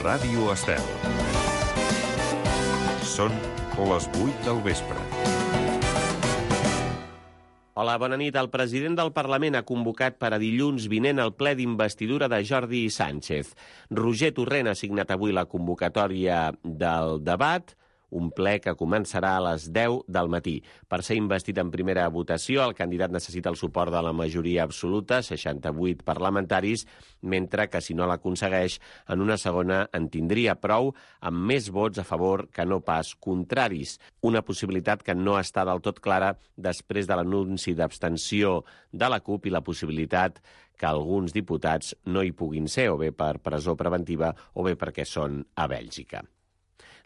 Ràdio Estel. Són les 8 del vespre. Hola, bona nit. El president del Parlament ha convocat per a dilluns vinent el ple d'investidura de Jordi Sánchez. Roger Torrent ha signat avui la convocatòria del debat, un ple que començarà a les 10 del matí. Per ser investit en primera votació, el candidat necessita el suport de la majoria absoluta, 68 parlamentaris, mentre que si no l'aconsegueix, en una segona en tindria prou, amb més vots a favor que no pas contraris. Una possibilitat que no està del tot clara després de l'anunci d'abstenció de la CUP i la possibilitat que alguns diputats no hi puguin ser, o bé per presó preventiva o bé perquè són a Bèlgica.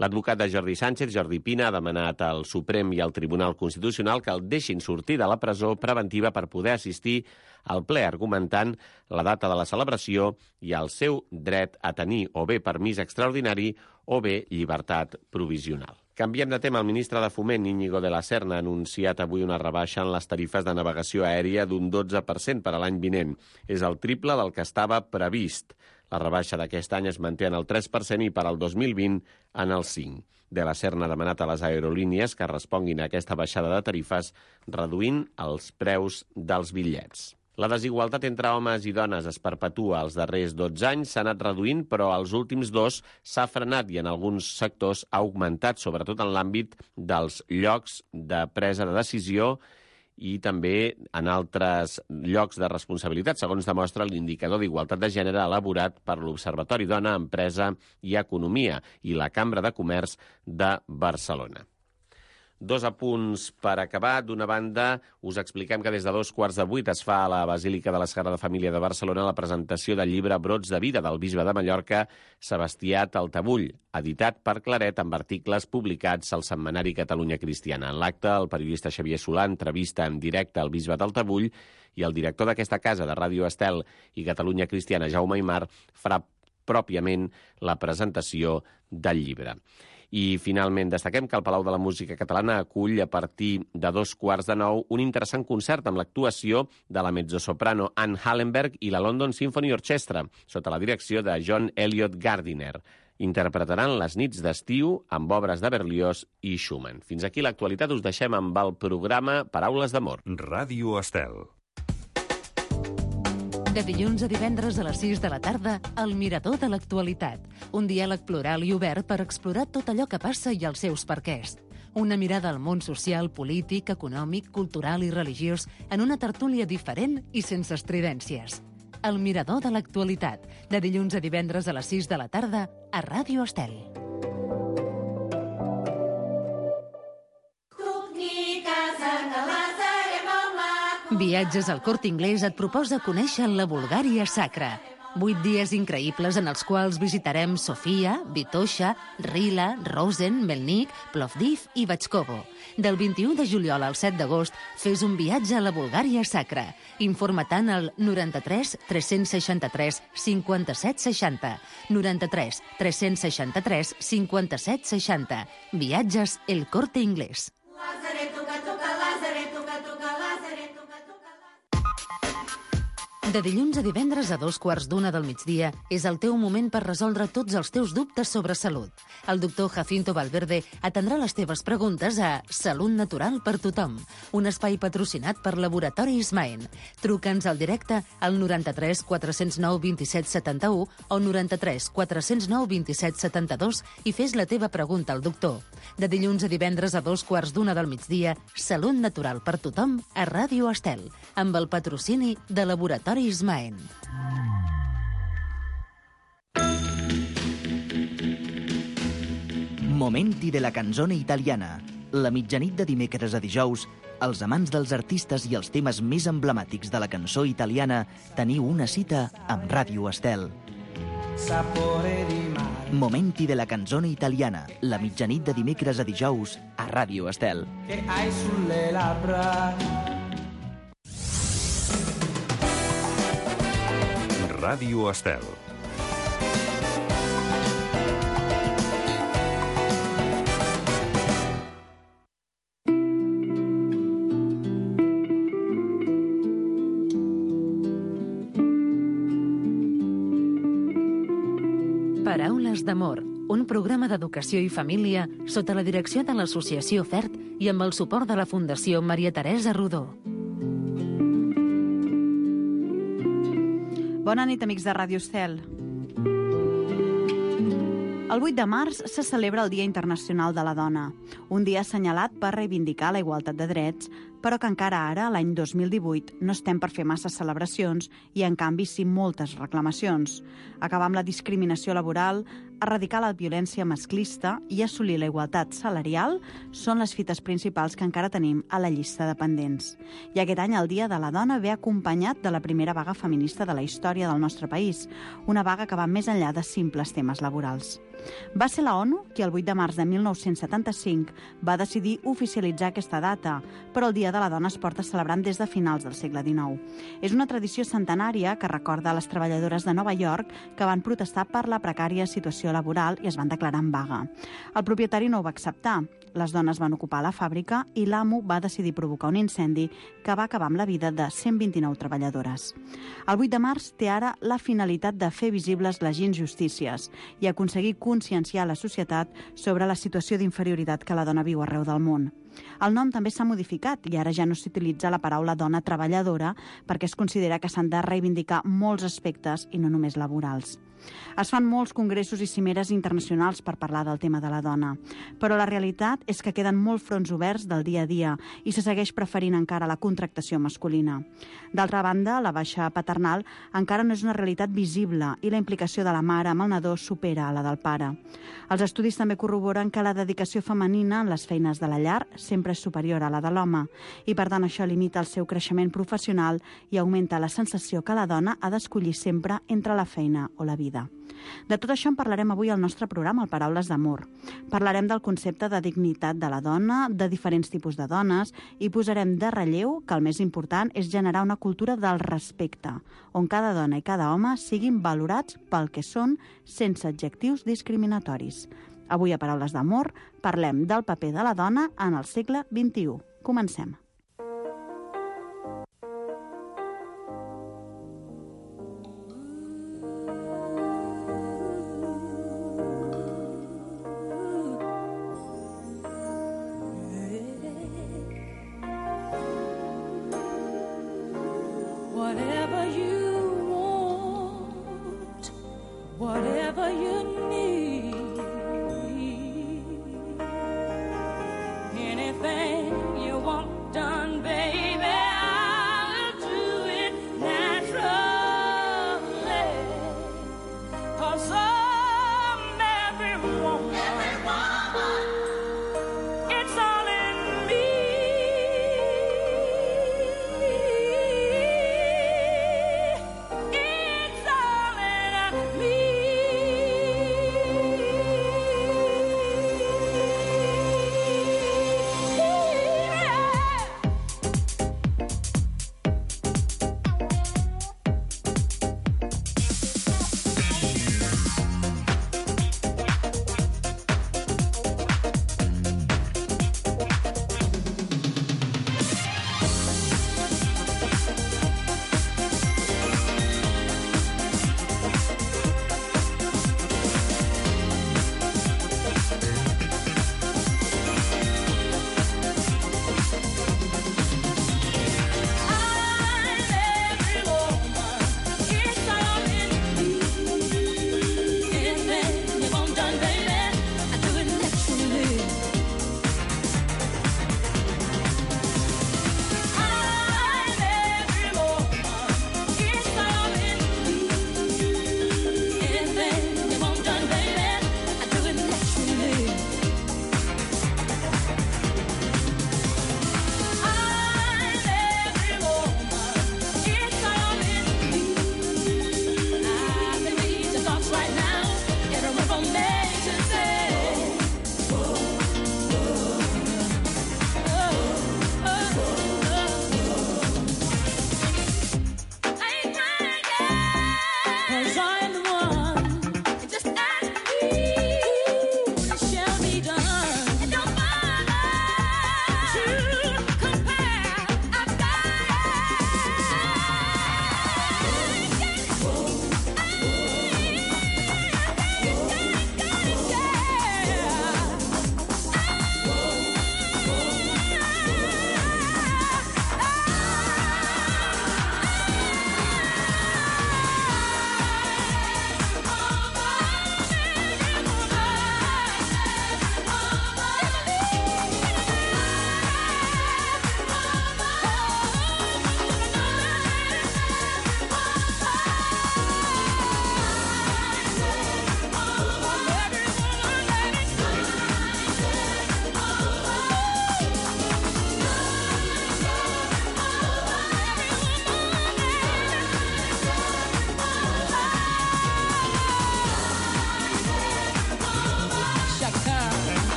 L'advocat de Jordi Sánchez, Jordi Pina, ha demanat al Suprem i al Tribunal Constitucional que el deixin sortir de la presó preventiva per poder assistir al ple, argumentant la data de la celebració i el seu dret a tenir o bé permís extraordinari o bé llibertat provisional. Canviem de tema. El ministre de Foment, Íñigo de la Serna, ha anunciat avui una rebaixa en les tarifes de navegació aèria d'un 12% per a l'any vinent. És el triple del que estava previst. La rebaixa d'aquest any es manté en el 3% i per al 2020 en el 5%. De la Serna ha demanat a les aerolínies que responguin a aquesta baixada de tarifes reduint els preus dels bitllets. La desigualtat entre homes i dones es perpetua. Els darrers 12 anys s'ha anat reduint, però als últims 2 s'ha frenat i en alguns sectors ha augmentat, sobretot en l'àmbit dels llocs de presa de decisió i també en altres llocs de responsabilitat, segons demostra l'indicador d'igualtat de gènere elaborat per l'Observatori Dona, Empresa i Economia i la Cambra de Comerç de Barcelona. 2 apunts per acabar. D'una banda, us expliquem que des de 7:15 es fa a la Basílica de la Sagrada Família de Barcelona la presentació del llibre Brots de vida del bisbe de Mallorca, Sebastià Taltabull, editat per Claret amb articles publicats al setmanari Catalunya Cristiana. En l'acte, el periodista Xavier Solà entrevista en directe al bisbe Taltabull i el director d'aquesta casa de Ràdio Estel i Catalunya Cristiana, Jaume Aymar, farà pròpiament la presentació del llibre. I, finalment, destaquem que el Palau de la Música Catalana acull a partir de 8:15 un interessant concert amb l'actuació de la mezzosoprano Anne Hallenberg i la London Symphony Orchestra, sota la direcció de John Elliott Gardiner. Interpretaran les nits d'estiu amb obres de Berlioz i Schumann. Fins aquí l'actualitat. Us deixem amb el programa Paraules d'Amor. Ràdio Estel. De dilluns a divendres a les 6 de la tarda, El Mirador de l'Actualitat. Un diàleg plural i obert per explorar tot allò que passa i els seus perquès. Una mirada al món social, polític, econòmic, cultural i religiós en una tertúlia diferent i sense estridències. El Mirador de l'Actualitat. De dilluns a divendres a les 6 de la tarda a Ràdio Estel. Viatges al Corte Inglés et proposa conèixer la Bulgària sacra. 8 dies increïbles en els quals visitarem Sofia, Vitoša, Rila, Rosen, Melnik, Plovdiv i Batxkovo. Del 21 de juliol al 7 d'agost, fes un viatge a la Bulgària sacra. Informa-te'n al 93 363 57 60. 93 363 57 60. Viatges El Corte Inglés. De dilluns a divendres a 2:15 del migdia és el teu moment per resoldre tots els teus dubtes sobre salut. El doctor Jacinto Valverde atendrà les teves preguntes a Salut Natural per Tothom, un espai patrocinat per Laboratori Ismaen. Truca'ns al directe al 93 409 27 71 o 93 409 27 72 i fes la teva pregunta al doctor. De dilluns a divendres a 2:15 del migdia, Salut Natural per Tothom a Ràdio Estel, amb el patrocini de Laboratori Ismaen. Momenti de la canzone italiana. La mitjanit de dimecres a dijous, els amants dels artistes i els temes més emblemàtics de la cançó italiana teniu una cita amb Ràdio Estel. Momenti de la canzone italiana. La mitjanit de dimecres a dijous a Ràdio Estel. Ràdio Estel. Paraules d'amor, un programa d'educació i família sota la direcció de l'Associació FERT i amb el suport de la Fundació Maria Teresa Rodó. Bona nit, amics de Ràdio Estel. El 8 de març se celebra el Dia Internacional de la Dona, un dia assenyalat per reivindicar la igualtat de drets, però que encara ara, l'any 2018, no estem per fer massa celebracions i, en canvi, sí moltes reclamacions. Acabar amb la discriminació laboral, erradicar la violència masclista i assolir la igualtat salarial són les fites principals que encara tenim a la llista de pendents. I aquest any el Dia de la Dona ve acompanyat de la primera vaga feminista de la història del nostre país, una vaga que va més enllà de simples temes laborals. Va ser la ONU qui el 8 de març de 1975 va decidir oficialitzar aquesta data, però el Dia de la Dona es porta celebrant des de finals del segle XIX. És una tradició centenària que recorda les treballadores de Nova York que van protestar per la precària situació laboral i es van declarar en vaga. El propietari no ho va acceptar. Les dones van ocupar la fàbrica i l'amo va decidir provocar un incendi que va acabar amb la vida de 129 treballadores. El 8 de març té ara la finalitat de fer visibles les injustícies i aconseguir conscienciar la societat sobre la situació d'inferioritat que la dona viu arreu del món. El nom també s'ha modificat i ara ja no s'utilitza la paraula dona treballadora perquè es considera que s'han de reivindicar molts aspectes i no només laborals. Es fan molts congressos i cimeres internacionals per parlar del tema de la dona, però la realitat és que queden molts fronts oberts del dia a dia i se segueix preferint encara la contractació masculina. D'altra banda, la baixa paternal encara no és una realitat visible i la implicació de la mare amb el nadó supera a la del pare. Els estudis també corroboren que la dedicació femenina en les feines de la llar sempre és superior a la de l'home i, per tant, això limita el seu creixement professional i augmenta la sensació que la dona ha d'escollir sempre entre la feina o la vida. De tot això en parlarem avui al nostre programa, al Paraules d'Amor. Parlarem del concepte de dignitat de la dona, de diferents tipus de dones, i posarem de relleu que el més important és generar una cultura del respecte, on cada dona i cada home siguin valorats pel que són sense adjectius discriminatoris. Avui a Paraules d'Amor parlem del paper de la dona en el segle XXI. Comencem. Whatever you want, whatever you need, anything you want done, baby, I'll do it naturally. 'Cause I'm every woman, it's all in me. It's all in me.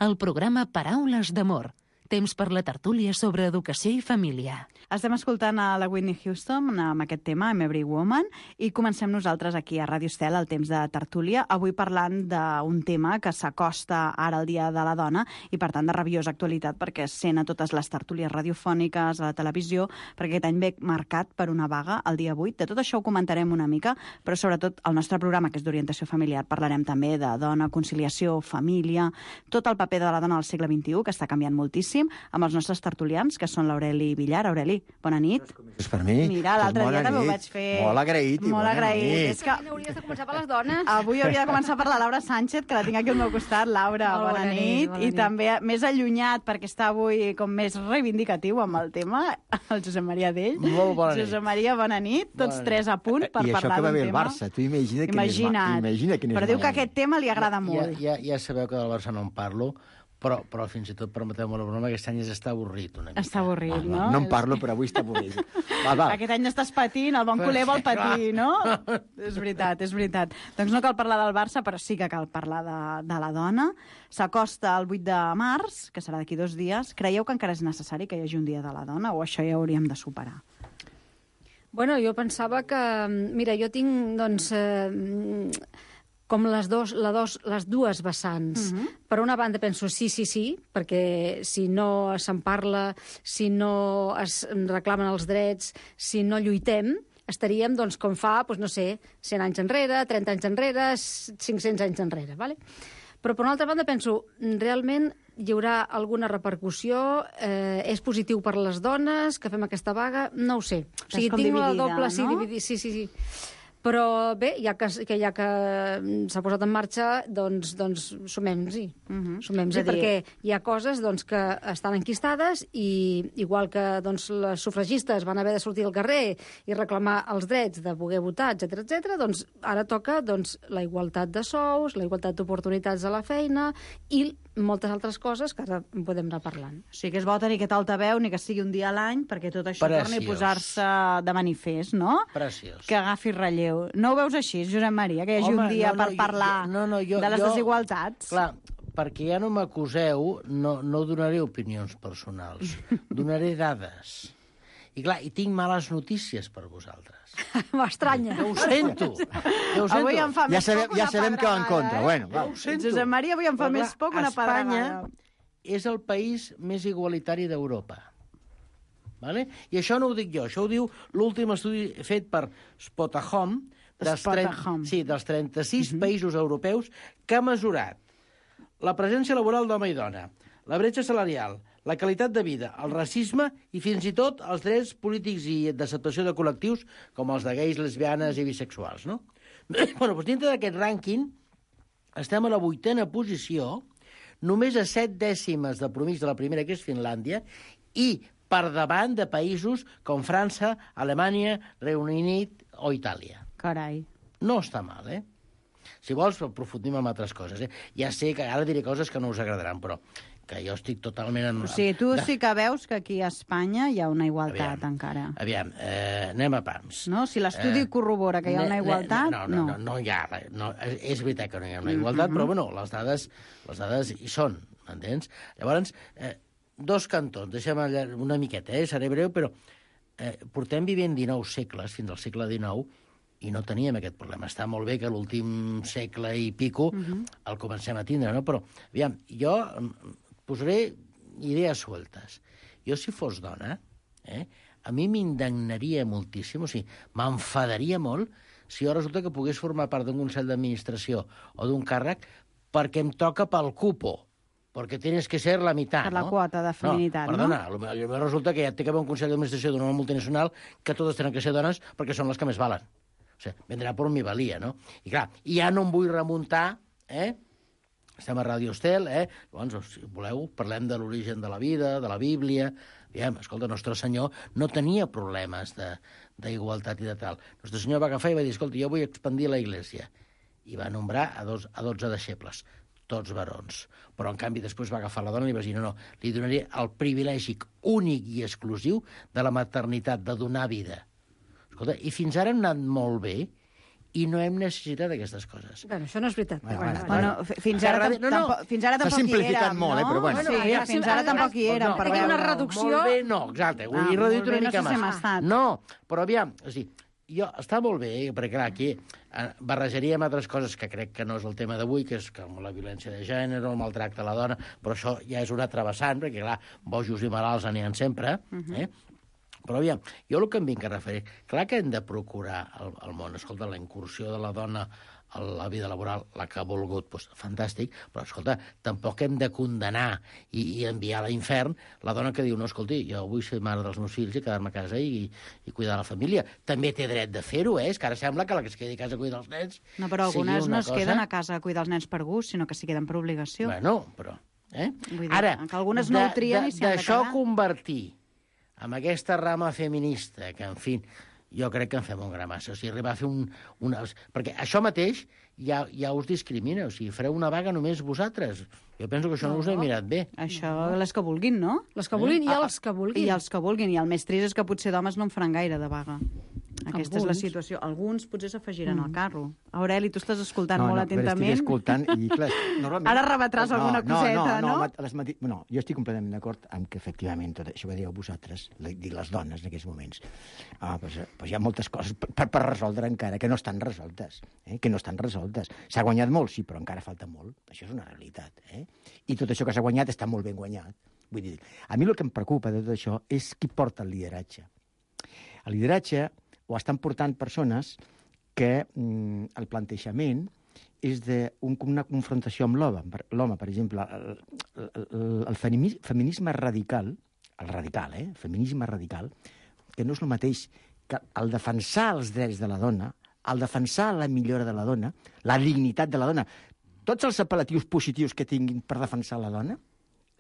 el programa Paraules d'Amor. Temps per la tertúlia sobre educació i família. Estem escoltant a la Whitney Houston amb aquest tema, I'm Every Woman, i comencem nosaltres aquí a Ràdio Estel, el temps de tertúlia, avui parlant d'un tema que s'acosta ara al Dia de la Dona i, per tant, de rabiosa actualitat, perquè es sent a totes les tertúlies radiofòniques, a la televisió, perquè aquest any ve marcat per una vaga el dia 8. De tot això ho comentarem una mica, però sobretot el nostre programa, que és d'orientació familiar, parlarem també de dona, conciliació, família, tot el paper de la dona al segle XXI, que està canviant moltíssim, amb els nostres tertulians, que són l'Aureli Villar. Aureli, bona nit. És per mi. Mira, l'altre dia també ho vaig fer. Molt agraït i molt bona agraït. nit. És que Hauries de començar per les dones. avui hauria de començar per la Laura Sánchez, que la tinc aquí al meu costat. Laura, Molt bona nit. bona I nit. també més allunyat, perquè està avui com més reivindicatiu amb el tema, el Josep Maria Dell. Molt bona nit. Josep Maria, bona nit. Tots Bona tres a punt per I això parlar que va d'un bé el tema. Barça. Tu imagina que Imagina't. quin és Però diu que mal. aquest tema li agrada molt. Ja sabeu que del Barça no en parlo, però fins i tot, permeteu-me la broma, aquest any està avorrit una mica. Està avorrit, no? No en parlo, però avui està avorrit. Va. Aquest any estàs patint, el bon culer vol patir, no? És veritat, és veritat. Doncs no cal parlar del Barça, però sí que cal parlar de la dona. S'acosta el 8 de març, que serà d'aquí 2 dies. Creieu que encara és necessari que hi hagi un dia de la dona o això ja hauríem de superar? Bueno, jo pensava que... Mira, jo tinc, doncs, com les dues vessants. Per una banda penso sí, perquè si no se'n parla, si no es reclamen els drets, si no lluitem, estaríem, doncs, com fa, doncs, no sé, 100 anys enrere, 30 anys enrere, 500 anys enrere, ¿vale? Però, per una altra banda, penso, realment hi haurà alguna repercussió? És positiu per les dones que fem aquesta vaga? No ho sé. O sigui, com tinc la dividida, doble... no? Sí. Però bé, ja que s'ha posat en marxa, doncs sumem-hi. Sumem-hi, perquè hi ha coses doncs, que estan enquistades i igual que doncs, les sufragistes van haver de sortir al carrer i reclamar els drets de poder votar, etc, doncs ara toca doncs, la igualtat de sous, la igualtat d'oportunitats a la feina i moltes altres coses que ara en podem anar parlant. O sigui que és bo tenir aquest altaveu, ni que sigui un dia a l'any, perquè tot això torni a posar-se de manifest, no? Preciós. Que agafi relleu. No ho veus així, Josep Maria, que hi hagi un dia per parlar de les desigualtats? Clar, perquè ja no m'acuseu, no donaré opinions personals, donaré dades. I clar, i tinc males notícies per vosaltres. M'estranya. Ja ho sento. Avui em fa Ja més poc una sabem que va en contra. Bueno, va. Josep Maria avui em fa més poc una pedregada. Espanya és el país més igualitari d'Europa. Vale? I això no ho dic jo, això ho diu l'últim estudi fet per Spotahome, dels 36 països europeus, que ha mesurat la presència laboral d'home i dona, la bretxa salarial, la qualitat de vida, el racisme i fins i tot els drets polítics i d'acceptació de col·lectius com els de gais, lesbianes i bisexuals, no? Bueno, doncs dintre d'aquest rànquing estem a la 8a posició, només a 7 dècimes de promís de la primera, que és Finlàndia, i per davant de països com França, Alemanya, Regne Unit o Itàlia. Carai. No està mal, eh? Si vols, aprofundim en altres coses, eh? Ja sé que ara diré coses que no us agradaran, però que jo estic totalment... O sigui, tu sí que veus que aquí a Espanya hi ha una igualtat encara. Aviam, anem a pams. No? Si l'estudi corrobora que hi ha una igualtat, no hi ha res. No, és veritat que no hi ha una igualtat, però bueno, les dades hi són, m'entens? Llavors, dos cantons, deixa'm una miqueta, seré breu, però portem vivint 19 segles, fins al segle XIX, i no teníem aquest problema. Està molt bé que l'últim segle i pico el comencem a tindre, no? Però, aviam, jo posaré idees sueltes. Jo, si fos dona, a mi m'indignaria moltíssim, o sigui, m'enfadaria molt si jo resulta que pogués formar part d'un consell d'administració o d'un càrrec perquè em toca pel cupo, perquè tienes que ser la meitat, per la quota de feminitat, no? Perdona, potser resulta que ja té que haver un consell d'administració d'una multinacional que totes tenen que ser dones perquè són les que més valen. O sigui, vendrà per mi valia, no? I clar, ja no em vull remuntar, estem a Ràdio Estel, llavors, si voleu, parlem de l'origen de la vida, de la Bíblia. Aviam, escolta, Nostre Senyor no tenia problemes d'igualtat i de tal. Nostre Senyor va agafar i va dir, escolta, jo vull expandir la Iglésia. I va nombrar a 12 deixebles, tots varons. Però, en canvi, després va agafar la dona i li va dir, no, li donaré el privilegi únic i exclusiu de la maternitat, de donar vida. Escolta, i fins ara hem anat molt bé, i no hem necessitat aquestes coses. Bueno, això no és veritat. Fins ara tampoc hi érem, molt, no? però bueno. Sí, fins ara tampoc hi érem, per veure. Una reducció... Molt bé, no, exacte, ho he reduït una mica més. No, però aviam, està molt bé, perquè clar, aquí barrejaríem altres coses que crec que no és el tema d'avui, que és com la violència de gènere, el maltracte a la dona, però això ja és un altre vessant, perquè clar, bojos i malalts n'hi ha sempre, Però aviam, jo el que em vinc a referir, clar que hem de procurar el món. Escolta, la incursió de la dona a la vida laboral, la que ha volgut, doncs, fantàstic, però, escolta, tampoc hem de condenar i enviar a l'infern la dona que diu, no, escolti, jo vull ser mare dels meus fills i quedar-me a casa i cuidar la família. També té dret de fer-ho, és que ara sembla que la que es quedi a casa a cuidar els nens... No, però algunes no es queden a casa a cuidar els nens per gust, sinó que s'hi queden per obligació. Bueno, però... Vull dir, ara, que algunes no ho trien i s'hi han de quedar. D'això convertir amb aquesta rama feminista, que, en fi, jo crec que en fem un gra massa. O sigui, arribar a fer perquè això mateix ja us discrimina. O sigui, fareu una vaga només vosaltres. Jo penso que això no us he mirat bé. Això, les que vulguin, no? Les que vulguin i els que vulguin. I els que vulguin. I el més trist és que potser d'homes no en faran gaire de vaga. Aquesta és la situació. Alguns potser s'afegiran al carro. Aureli, tu estàs escoltant molt atentament. Estic escoltant i, clar, normalment... Ara rebatràs alguna coseta, no? No, jo estic completament d'acord amb que, efectivament, tot això que dieu vosaltres, dic les dones en aquests moments, doncs hi ha moltes coses per resoldre encara, que no estan resoltes. S'ha guanyat molt, sí, però encara falta molt. Això és una realitat. I tot això que s'ha guanyat està molt ben guanyat. Vull dir, a mi el que em preocupa de tot això és qui porta el lideratge. El lideratge ho estan portant persones que el plantejament és d'una confrontació amb l'home. Per exemple, el feminisme radical, feminisme radical, que no és el mateix que el defensar els drets de la dona, el defensar la millora de la dona, la dignitat de la dona, tots els apel·latius positius que tinguin per defensar la dona,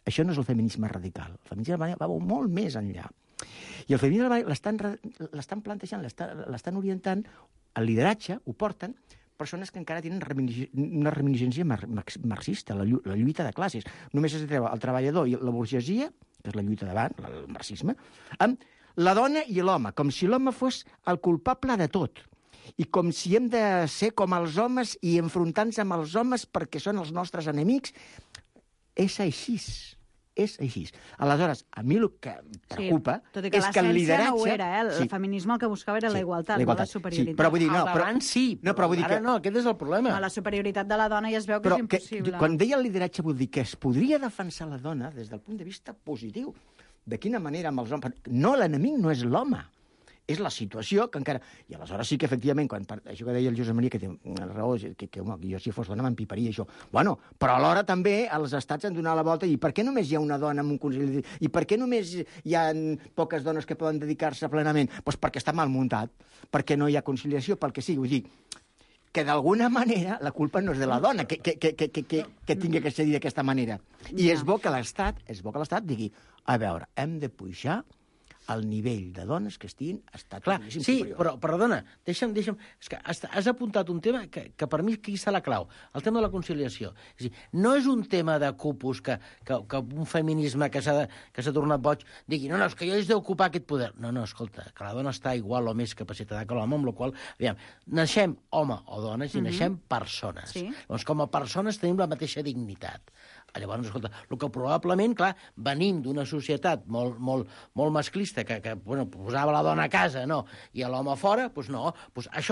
això no és el feminisme radical. El feminisme radical va molt més enllà. I el feminisme l'estan plantejant, l'estan orientant, el lideratge ho porten persones que encara tenen una reminiscència marxista, la lluita de classes. Només es treu el treballador i la burgesia, que és la lluita davant, el marxisme, amb la dona i l'home, com si l'home fos el culpable de tot. I com si hem de ser com els homes i enfrontar-nos amb els homes perquè són els nostres enemics. És així. És així. Aleshores, a mi el que em preocupa és que el lideratge... No ho era, el feminisme el que buscava era la igualtat, no la superioritat. Sí, però vull dir, abans sí, però ara no, aquest és el problema. La superioritat de la dona ja es veu que és impossible. Quan deia el lideratge vull dir que es podria defensar la dona des del punt de vista positiu. De quina manera amb els homes... No, l'enemic no és l'home. És la situació que encara... I aleshores sí que, efectivament, això que deia el Josep Maria, que té raó, que jo si fos dona m'empiparia això. Bueno, però alhora també els estats han donat la volta i per què només hi ha una dona en un consell? I per què només hi ha poques dones que poden dedicar-se plenament? Doncs perquè està mal muntat, perquè no hi ha conciliació, pel que sigui. Vull dir, que d'alguna manera la culpa no és de la dona que tingui que cedir d'aquesta manera. I és bo que l'Estat digui, a veure, hem de pujar el nivell de dones que estiguin sí, superior. Però, perdona, deixa'm... És que has apuntat un tema que per mi aquí està la clau, el tema de la conciliació. És a dir, no és un tema de cupos que un feminisme que s'ha tornat boig digui, no, és que jo he d'ocupar aquest poder. No, escolta, que la dona està igual o més capacitada que l'home, amb la qual cosa, aviam, naixem home o dones i naixem persones. Sí. Doncs com a persones tenim la mateixa dignitat. Llavors, escolta, el que probablement, clar, venim d'una societat molt masclista que posava la dona a casa, no, i l'home a fora, doncs no.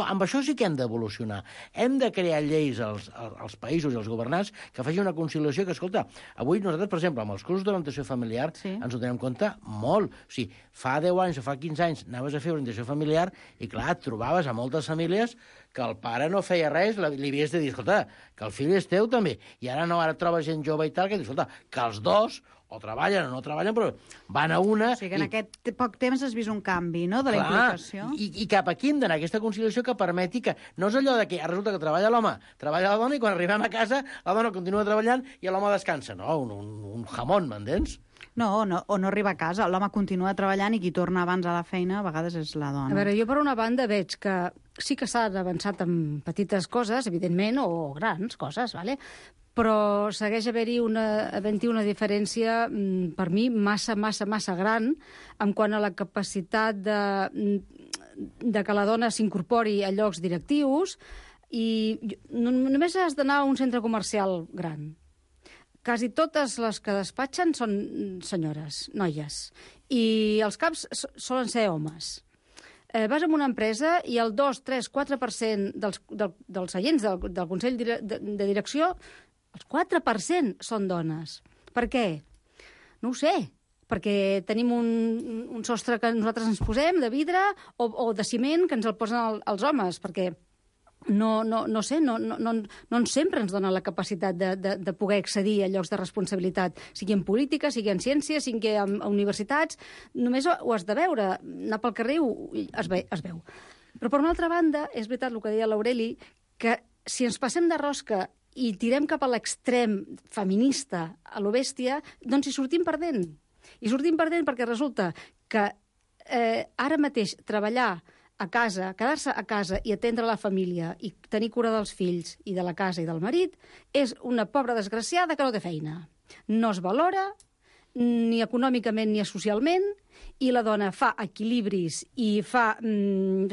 Amb això sí que hem d'evolucionar. Hem de crear lleis als països i als governants que facin una conciliació que, escolta, avui nosaltres, per exemple, amb els cursos d'orientació familiar ens ho tenim en compte molt. O sigui, fa 10 anys o fa 15 anys anaves a fer orientació familiar i, clar, et trobaves a moltes famílies que el pare no feia res, li havies de dir, escolta, que el fill és teu també. I ara no, ara trobes gent jove i tal, que diu, escolta, que els dos o treballen o no treballen, però van a una... O sigui que en aquest poc temps has vist un canvi, no?, de la implicació. I cap aquí hem d'anar, aquesta conciliació que permeti que... No és allò de que resulta que treballa l'home, treballa la dona, i quan arribem a casa la dona continua treballant i l'home descansa. No, un jamón, m'entens? No, o no arriba a casa, l'home continua treballant i qui torna abans a la feina a vegades és la dona. A veure, jo per una banda veig que sí que s'ha avançat en petites coses, evidentment, o grans coses, ¿vale? Però segueix havent-hi una diferència, per mi, massa gran en quant a la capacitat de que la dona s'incorpori a llocs directius, i només has d'anar a un centre comercial gran. Quasi totes les que despatxen són senyores, noies, i els caps solen ser homes. Vas a una empresa i el 2, 3, 4% dels seients del Consell de Direcció, els 4% són dones. Per què? No ho sé. Perquè tenim un sostre que nosaltres ens posem de vidre o de ciment que ens el posen els homes, perquè no sempre ens dona la capacitat de poder accedir a llocs de responsabilitat, sigui en política, sigui en ciència, sigui en universitats. Només ho has de veure. Anar pel carrer es veu. Però, per una altra banda, és veritat el que deia l'Aureli, que si ens passem de rosca i tirem cap a l'extrem feminista, a lo bèstia, doncs hi sortim perdent. I sortim perdent perquè resulta que ara mateix treballar a casa, quedar-se a casa i atendre la família i tenir cura dels fills i de la casa i del marit és una pobra desgraciada que no té feina. No es valora ni econòmicament ni socialment, i la dona fa equilibris i fa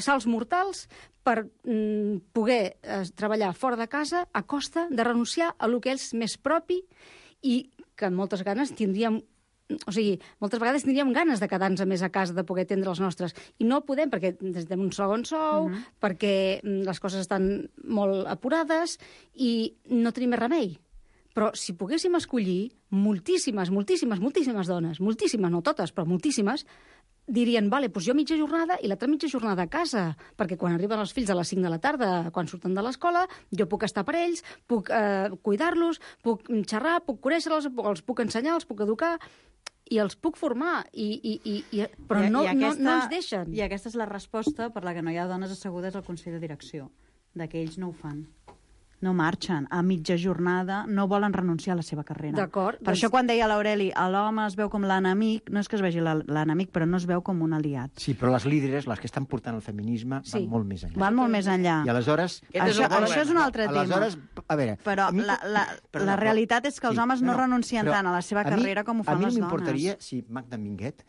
salts mortals per poder treballar fora de casa a costa de renunciar a lo que és més propi i que moltes vegades tindríem ganes de quedar-nos més a casa, de poder atendre els nostres. I no podem, perquè necessitem un segon sou, perquè les coses estan molt apurades i no tenim més remei. Però si poguéssim escollir, moltíssimes dones, moltíssimes, no totes, però moltíssimes, dirien, vale, doncs jo mitja jornada i l'altra mitja jornada a casa, perquè quan arriben els fills a les 5 de la tarda, quan surten de l'escola, jo puc estar per ells, puc cuidar-los, puc xerrar, puc conèixer-los, els puc ensenyar, els puc educar, i els puc formar, però no ens deixen. I aquesta és la resposta per la que no hi ha dones assegudes al Consell de Direcció, que ells no ho fan. No marxen a mitja jornada, no volen renunciar a la seva carrera. D'acord. Per això quan deia l'Aureli, l'home es veu com l'enemic, no és que es vegi l'enemic, però no es veu com un aliat. Sí, però les líderes, les que estan portant el feminisme, van molt més enllà. Van molt més enllà. I aleshores... Això és un altre tema. Aleshores, a veure... Però la realitat és que els homes no renuncien tant a la seva carrera com ho fan les dones. A mi m'importaria si Magda Minguet,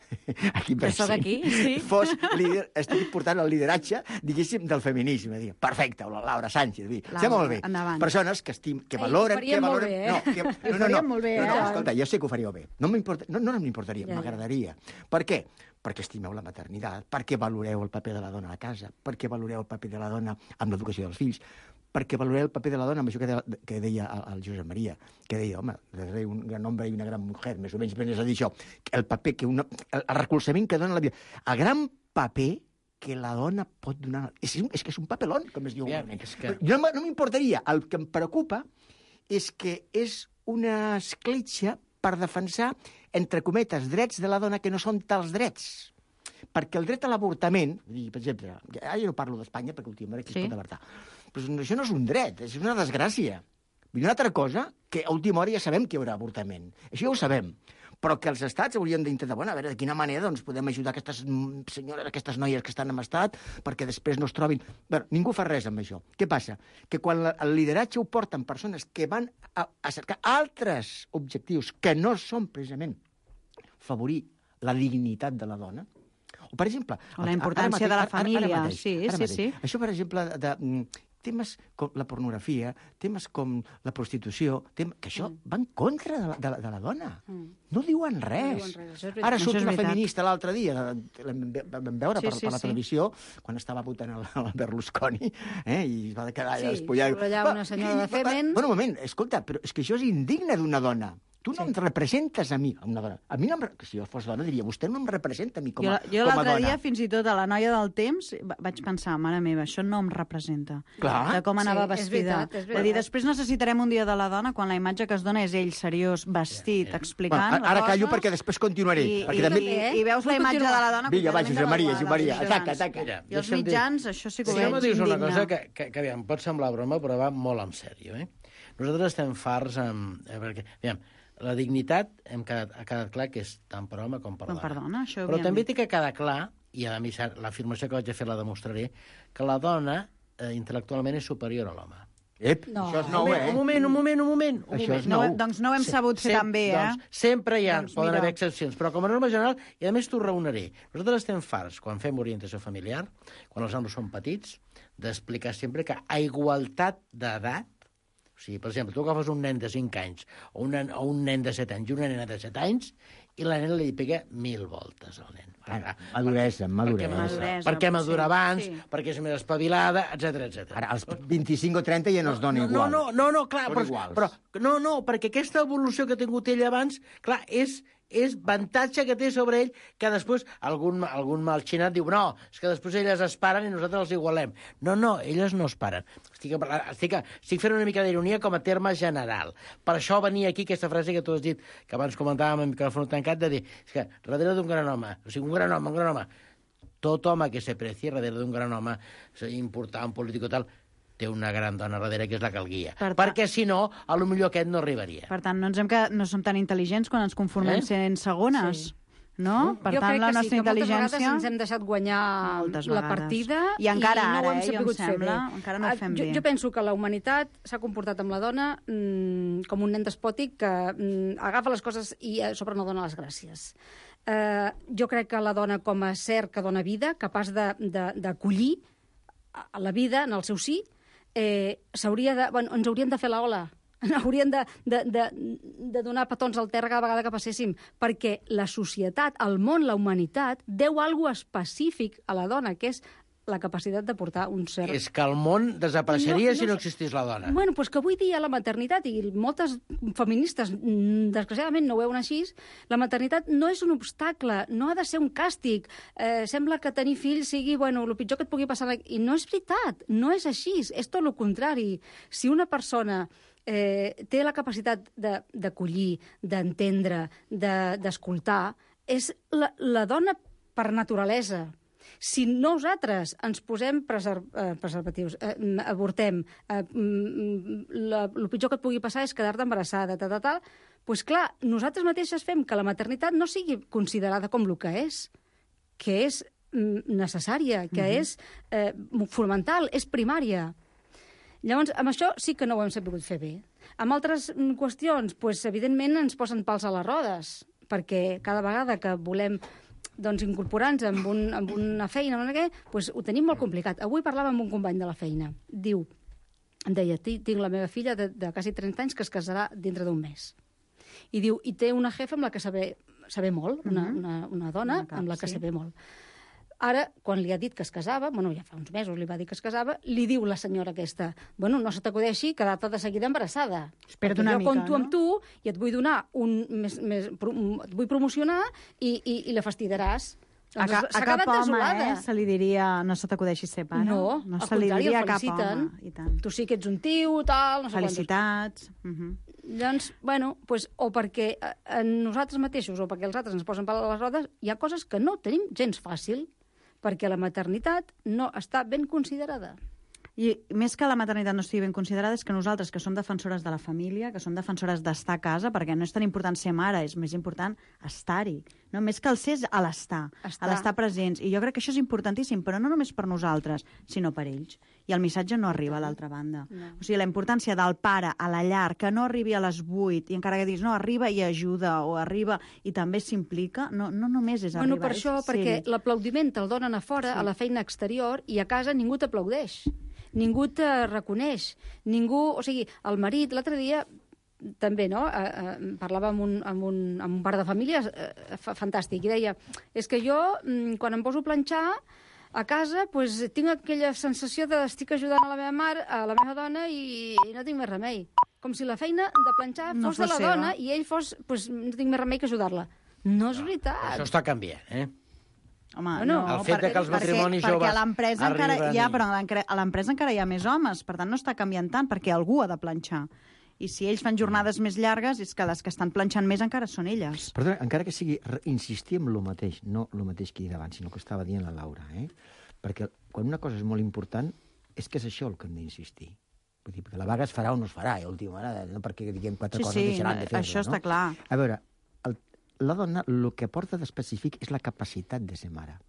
aquí que soc aquí, sí, fos líder, estigui portant el lideratge, diguéssim, del feminisme. Perfecte, o la Laura Sánchez. Està molt bé. Persones que valoren... Ho faríem molt bé, eh? Ho faríem molt bé, eh? Escolta, jo sé que ho faríeu bé. No m'importaria, m'agradaria. Per què? Perquè estimeu la maternitat, perquè valoreu el paper de la dona a la casa, perquè valoreu el paper de la dona amb l'educació dels fills, perquè valoreu el paper de la dona amb això que deia el Josep Maria, que deia, home, un gran home i una gran mujer, més o menys, és a dir, això, el paper, el recolzament que dona la vida. El gran paper que la dona pot donar... És que és un papelón, com es diu. No m'importaria. El que em preocupa és que és una escletxa per defensar, entre cometes, drets de la dona que no són tals drets. Perquè el dret a l'avortament, per exemple, jo no parlo d'Espanya perquè últimament aquí es pot avortar, però això no és un dret, és una desgràcia. I una altra cosa, que a última hora ja sabem que hi haurà avortament. Això ja ho sabem. Però que els estats haurien d'intentar, a veure, de quina manera doncs, podem ajudar aquestes senyores, aquestes noies que estan en estat, perquè després no es trobin... Bé, ningú fa res amb això. Què passa? Que quan el lideratge ho porten persones que van a cercar altres objectius que no són precisament favorir la dignitat de la dona, o, per exemple... O la importància de la família, sí. Això, per exemple, de temes com la pornografia, temes com la prostitució, que això va en contra de la dona. No diuen res. Ara surt una feminista l'altre dia, vam veure per la televisió, quan estava votant el Berlusconi, i es va quedar allà despullat. Sí, allà una senyora de Femen... Bueno, un moment, escolta, però és que això és indigne d'una dona. Tu no em representes a mi, una dona. A mi no si jo fos dona diria, vostè no em representa a mi com a dona. Jo l'altre dia, fins i tot a la noia del temps, vaig pensar, mare meva, això no em representa. Clar. De com anava vestida. És veritat. Dir, després necessitarem un dia de la dona quan la imatge que es dona és ell seriós, vestit, explicant les coses. Ara callo perquè després continuaré. I veus la imatge de la dona... Vinga, va, Josep Maria, ataca. I els mitjans, això sí que ho veig indigne. Dius una cosa que aviam, pot semblar broma, però va molt en sèrio. Nosaltres estem farts perquè, aviam, la dignitat ha quedat clar que és tant per home com per dona. Però també té que quedar clar, i a mi l'afirmació que vaig a fer la demostraré, que la dona intel·lectualment és superior a l'home. No. Això és nou, Un moment. Això és No, nou. doncs no ho hem sabut fer tan bé, Doncs sempre poden mira. haver excepcions, però com a norma general, i a més t'ho raonaré, nosaltres estem farts, quan fem orientació familiar, quan els nanos són petits, d'explicar sempre que a igualtat d'edat, o sigui, per exemple, tu agafes un nen de 5 anys o un nen de 7 anys i una nena de 7 anys i la nena li pega 1000 voltes al nen. Maduresa. Perquè madura abans, sí. perquè és més espavilada, etc. Ara, als 25 o 30 ja no es dona igual. No, clar, Són iguals. però perquè aquesta evolució que ha tingut ell abans, clar, és avantatge que té sobre ell, que després algun malxinat diu no, és que després elles es paren i nosaltres els igualem. No, elles no es paren. Estic fent una mica d'ironia com a terme general. Per això venia aquí aquesta frase que tu has dit, que abans comentàvem amb micròfon tancat, de dir, és que darrere d'un gran home, o sigui, un gran home, tot home que se preci darrere d'un gran home important, polític o tal, té una gran dona darrere que és la que el guia. Perquè, si no, potser aquest no arribaria. Per tant, no som tan intel·ligents quan ens conformem sent segones. Sí. No? Per tant, la nostra intel·ligència... moltes vegades ens hem deixat guanyar la partida i encara no ho ara, hem sabut fer bé. Encara no ho fem bé. Jo penso que la humanitat s'ha comportat amb la dona com un nen despòtic que agafa les coses i sobre no dona les gràcies. Jo crec que la dona com a ser que dona vida, capaç d'acollir la vida en el seu sí, ens haurien de fer l'ola. Haurien de donar petons al terra cada vegada que passéssim, perquè la societat, el món, la humanitat, deu alguna específic a la dona, que és la capacitat de portar un ser... És que el món desapareixeria si no existís la dona. Bueno, doncs que avui dia la maternitat, i moltes feministes desgraciadament no ho veuen així, la maternitat no és un obstacle, no ha de ser un càstig. Sembla que tenir fills sigui, el pitjor que et pugui passar... I no és veritat, no és així, és tot el contrari. Si una persona té la capacitat d'acollir, d'entendre, d'escoltar, és la dona per naturalesa. Si nosaltres ens posem preservatius, avortem, el pitjor que et pugui passar és quedar-te embarassada, doncs clar, nosaltres mateixes fem que la maternitat no sigui considerada com el que és necessària, que és fonamental, és primària. Llavors, amb això sí que no ho hem sabut fer bé. Amb altres qüestions, doncs, evidentment, ens posen pals a les rodes, perquè cada vegada que volem incorporar-nos amb una feina, doncs ho tenim molt complicat. Avui parlava amb un company de la feina. Em deia, tinc la meva filla de quasi 30 anys que es casarà dintre d'un mes. I diu, i té una jefa amb la que saber molt, una dona amb la que saber molt. Ara, quan li ha dit que es casava, ja fa uns mesos li va dir que es casava, li diu la senyora aquesta, no se t'acudeixi quedar-te de seguida embarassada. Espera't una mica, compto amb tu i et vull donar et vull promocionar i la fastidaràs. A cap home se li diria no se t'acudeixi ser pare. No, al contrari, el feliciten. Tu sí que ets un tio, tal... Felicitats. Doncs, o perquè nosaltres mateixos o perquè els altres ens posen pal a les rodes, hi ha coses que no tenim gens fàcil, perquè la maternitat no està ben considerada. I més que la maternitat no estigui ben considerada és que nosaltres, que som defensores de la família, que som defensores d'estar a casa, perquè no és tan important ser mare, és més important estar-hi. No? Més que el ser és a l'estar presents. I jo crec que això és importantíssim, però no només per nosaltres, sinó per ells. I el missatge no arriba a l'altra banda. No. O sigui, la importància del pare a la llar, que no arribi a les 8, i encara que diguis, no, arriba i ajuda, o arriba i també s'implica, no només és arribar. Per això, perquè l'aplaudiment te'l donen a fora, a la feina exterior, i a casa ningú t'aplaudeix. Ningú te reconeix. O sigui, el marit, l'altre dia, també, no? Parlava amb un pare de famílies fantàstic, i deia, és que jo, quan em poso a planxar a casa, tinc aquella sensació de estic ajudant a la meva mare, a la meva dona, i no tinc més remei. Com si la feina de planxar fos de la dona, i ell fos, no tinc més remei que ajudar-la. No és veritat. Això està canviant, Home, el fet que els matrimonis joves perquè a l'empresa encara a l'empresa encara hi ha més homes, per tant no està canviant tant, perquè algú ha de planxar. I si ells fan jornades més llargues, és que les que estan planxant més encara són elles. Perdona, encara que sigui insistir en el mateix, no el mateix que he dit abans, sinó que estava dient la Laura, perquè quan una cosa és molt important, és que és això el que hem d'insistir. Vull dir, perquè la vaga es farà o no es farà, última hora, no perquè diguem quatre coses deixaran de fer-ho. Això està clar. A veure, la dona el que porta d'específic és la capacitat de ser mare.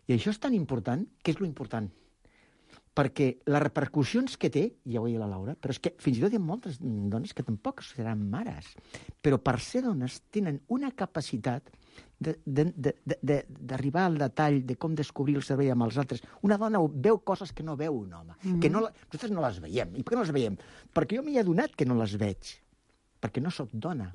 I això és tan important, que és lo important. perquè les repercussions que té, ja ho deia la Laura, però és que fins i tot hi ha moltes dones que tampoc seran mares, però per ser dones tenen una capacitat d'arribar al detall de com descobrir el cervell amb els altres. Una dona veu coses que no veu un home, que nosaltres no les veiem. I per què no les veiem? Perquè jo m'hi he adonat que no les veig, perquè no sóc dona,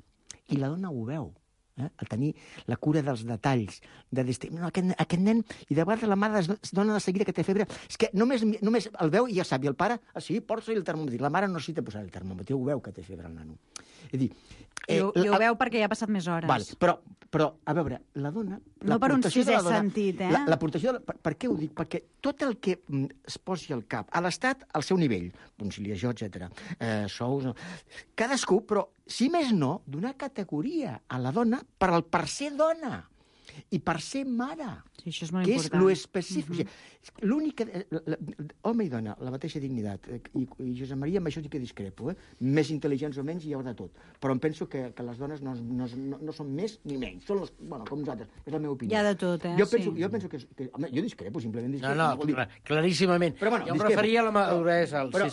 i la dona ho veu. A tenir la cura dels detalls, de no, aquest nen, i de vegades la mare es dona de seguida que té febre, és que només el veu i ja sap, i el pare, sí, porta-li el termòmetre, la mare no necessita posar el termòmetre, ho veu que té febre el nano. És a dir, I ho veu perquè ja ha passat més hores. Vale, però, a veure, la dona... No per un sisè sentit, L'aportació... Per què ho dic? Perquè tot el que es posi al cap, a l'Estat, al seu nivell, conciliació, etc. Sous... Cadascú, però, si més no, donar categoria a la dona per ser dona i per ser mare. Sí, això és molt que important. És lo específic. O sigui, l'única... Home i dona, la mateixa dignitat. I Josep Maria, amb això sí que discrepo. Més intel·ligents o menys hi ha de tot. Però em penso que les dones no són més ni menys. Són com nosaltres. És la meva opinió. Hi ha de tot, Jo penso que... Home, jo discrepo, simplement discrepo. No, claríssimament. Però, bueno, jo em referia a la maduresa. Però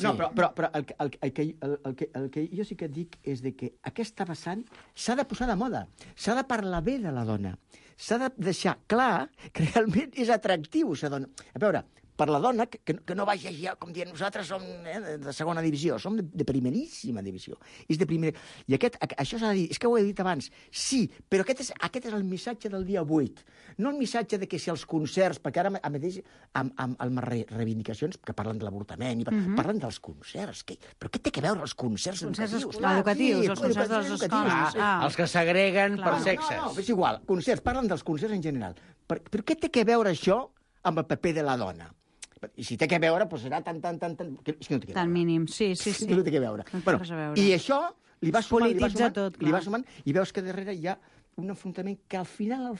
el que jo sí que et dic és de que aquesta vessant s'ha de posar de moda. S'ha de parlar bé de la dona. S'ha de deixar clar que realment és atractiu ser dona. A veure, per la dona, que no vagi ja, com dient, nosaltres som de segona divisió, som de primeríssima divisió. És de primera... I això s'ha de dir, és que ho he dit abans, sí, però aquest és el missatge del dia 8. No el missatge de que si els concerts, perquè ara mateix amb reivindicacions que parlen de l'avortament, parlen dels concerts. Però què té que veure els concerts educatius? Els concerts de les escoles. Els que s'agreguen per sexes. No, és igual, concerts, parlen dels concerts en general. Però què té que veure això amb el paper de la dona? I si té que veure, doncs serà tan... És que no té que veure. Tan mínim, sí. No té que veure. I això li va sumant, i veus que darrere hi ha un enfrontament que al final,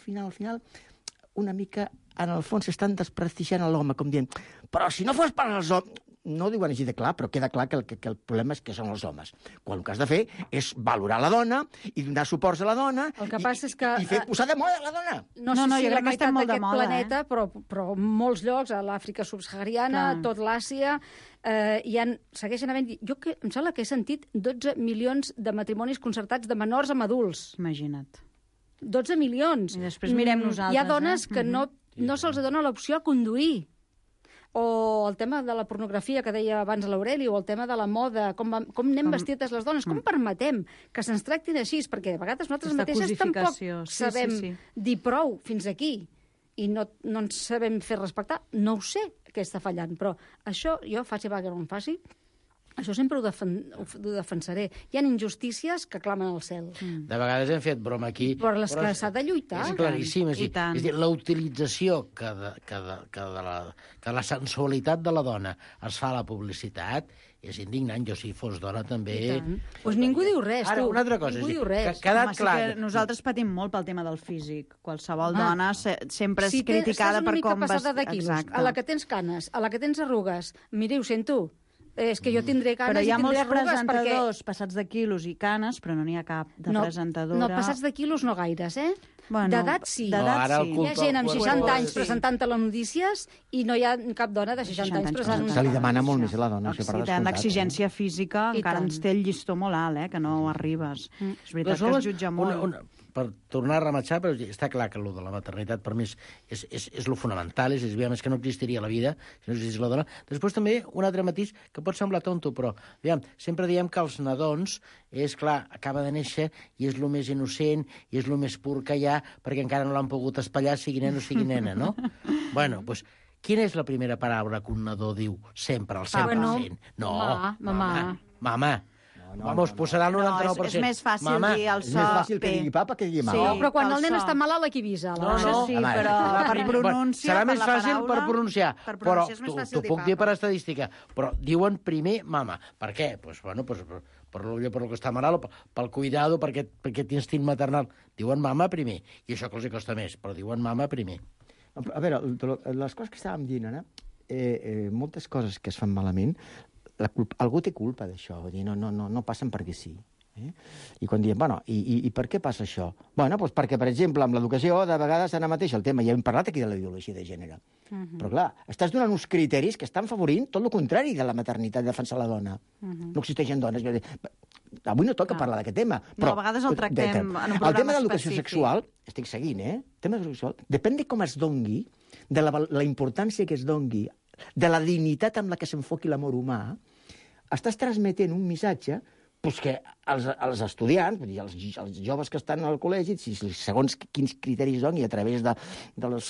una mica, en el fons, estan desprestigiant l'home, com dient, però si no fos per als homes... No ho diuen així de clar, però queda clar que el problema és que són els homes. Quan el que has de fer és valorar la dona i donar suports a la dona i posar de moda la dona. No sé si la meitat d'aquest planeta, però en molts llocs, a l'Àfrica subsahariana, tot l'Àsia, segueixen havent... Em sembla que he sentit 12 milions de matrimonis concertats de menors amb adults. Imagina't. 12 milions. I després mirem nosaltres. Hi ha dones que no se'ls dona l'opció a conduir. O el tema de la pornografia que deia abans l'Aureli, o el tema de la moda, com anem vestides les dones, com permetem que se'ns tractin així, perquè a vegades nosaltres mateixes tampoc sabem dir prou fins aquí i no ens sabem fer respectar. No ho sé què està fallant, però això jo faci vaga o no em faci, això sempre ho defensaré. Hi ha injustícies que clamen al cel. De vegades hem fet broma aquí. Per les que s'ha de lluitar. És claríssim. És dir, la utilització que de la sensualitat de la dona es fa a la publicitat és indignant. Jo, si fos dona, també... Doncs ningú diu res, tu. Ara, una altra cosa. Ningú diu res. Quedat clar. Nosaltres patim molt pel tema del físic. Qualsevol dona sempre és criticada per com... Si estàs una mica passada de quilos, a la que tens canes, a la que tens arrugues, miri, ho sento, és que jo tindré canes però hi ha i tindré molts presentadors perquè... passats de quilos i canes, però no n'hi ha cap de presentadora. No, passats de quilos no gaires, Bueno, d'edat sí. Hi ha gent amb 60 anys presentant telenotícies i no hi ha cap dona de 60 anys presentant. Se li demana molt més a la dona. Si tenen l'exigència física, encara ens té el llistó molt alt, que no arribes. És veritat que es jutja molt. Per tornar a rematxar, però està clar que allò de la maternitat per mi és lo fonamental, és més que no existiria la vida si no existís la dona. Després també un altre matís que pot semblar tonto, però sempre diem que els nadons, és clar, acaba de néixer i és el més innocent i és el més pur que hi ha perquè encara no l'han pogut espatllar, sigui nen o sigui nena, no? Bueno, doncs, quina és la primera paraula que un nadó diu sempre, al 100%? No, mama. Vamos, posarà el 99%. És més fàcil dir el so... És més fàcil que digui papa que digui mama. Sí, però quan el nen està malalt, aquí avisa. Això sí, però per pronunciar... Serà més fàcil per pronunciar, però t'ho puc dir per estadística. Però diuen primer mama. Per què? Doncs, bueno, per el que està malalt, pel cuidado, per aquest instint maternal. Diuen mama primer. I això que els costa més, però diuen mama primer. A veure, les coses que estàvem dient ara, moltes coses que es fan malament, algú té culpa d'això, no passen perquè sí. I quan diem, bueno, i per què passa això? Bueno, doncs perquè, per exemple, amb l'educació, de vegades ara mateix el tema, ja hem parlat aquí de la ideologia de gènere, però clar, estàs donant uns criteris que estan favorint tot el contrari de la maternitat, de defensar la dona. No existeixen dones. Avui no toca parlar d'aquest tema. Però, a vegades el tractem en un programa el tema d'educació específic. sexual, estic seguint, el tema d'educació sexual, depèn de com es dongui, de la importància que es dongui, de la dignitat amb la que s'enfoqui l'amor humà, estàs transmetent un missatge que els estudiants, vull dir, els joves que estan al col·legi, segons quins criteris doni, a través dels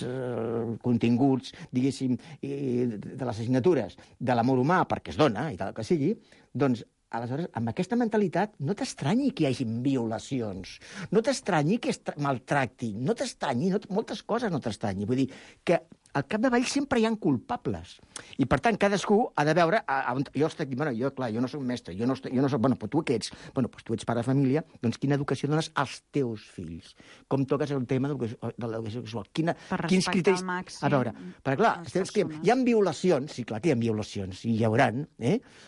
continguts, diguéssim, de les assignatures de l'amor humà, perquè es dona, i tal que sigui, doncs, aleshores, amb aquesta mentalitat, no t'estranyi que hi hagi violacions, no t'estranyi que es maltractin, no t'estranyi, moltes coses no t'estranyi. Vull dir que al capdavall sempre hi ha culpables. I, per tant, cadascú ha de veure... Jo no soc mestre, jo no soc... Però tu què ets? Tu ets pare de família, doncs quina educació dones als teus fills? Com toques el tema de l'educació sexual? Quins criteris... A veure, perquè clar, hi ha violacions, sí, clar que hi ha violacions, i hi hauran,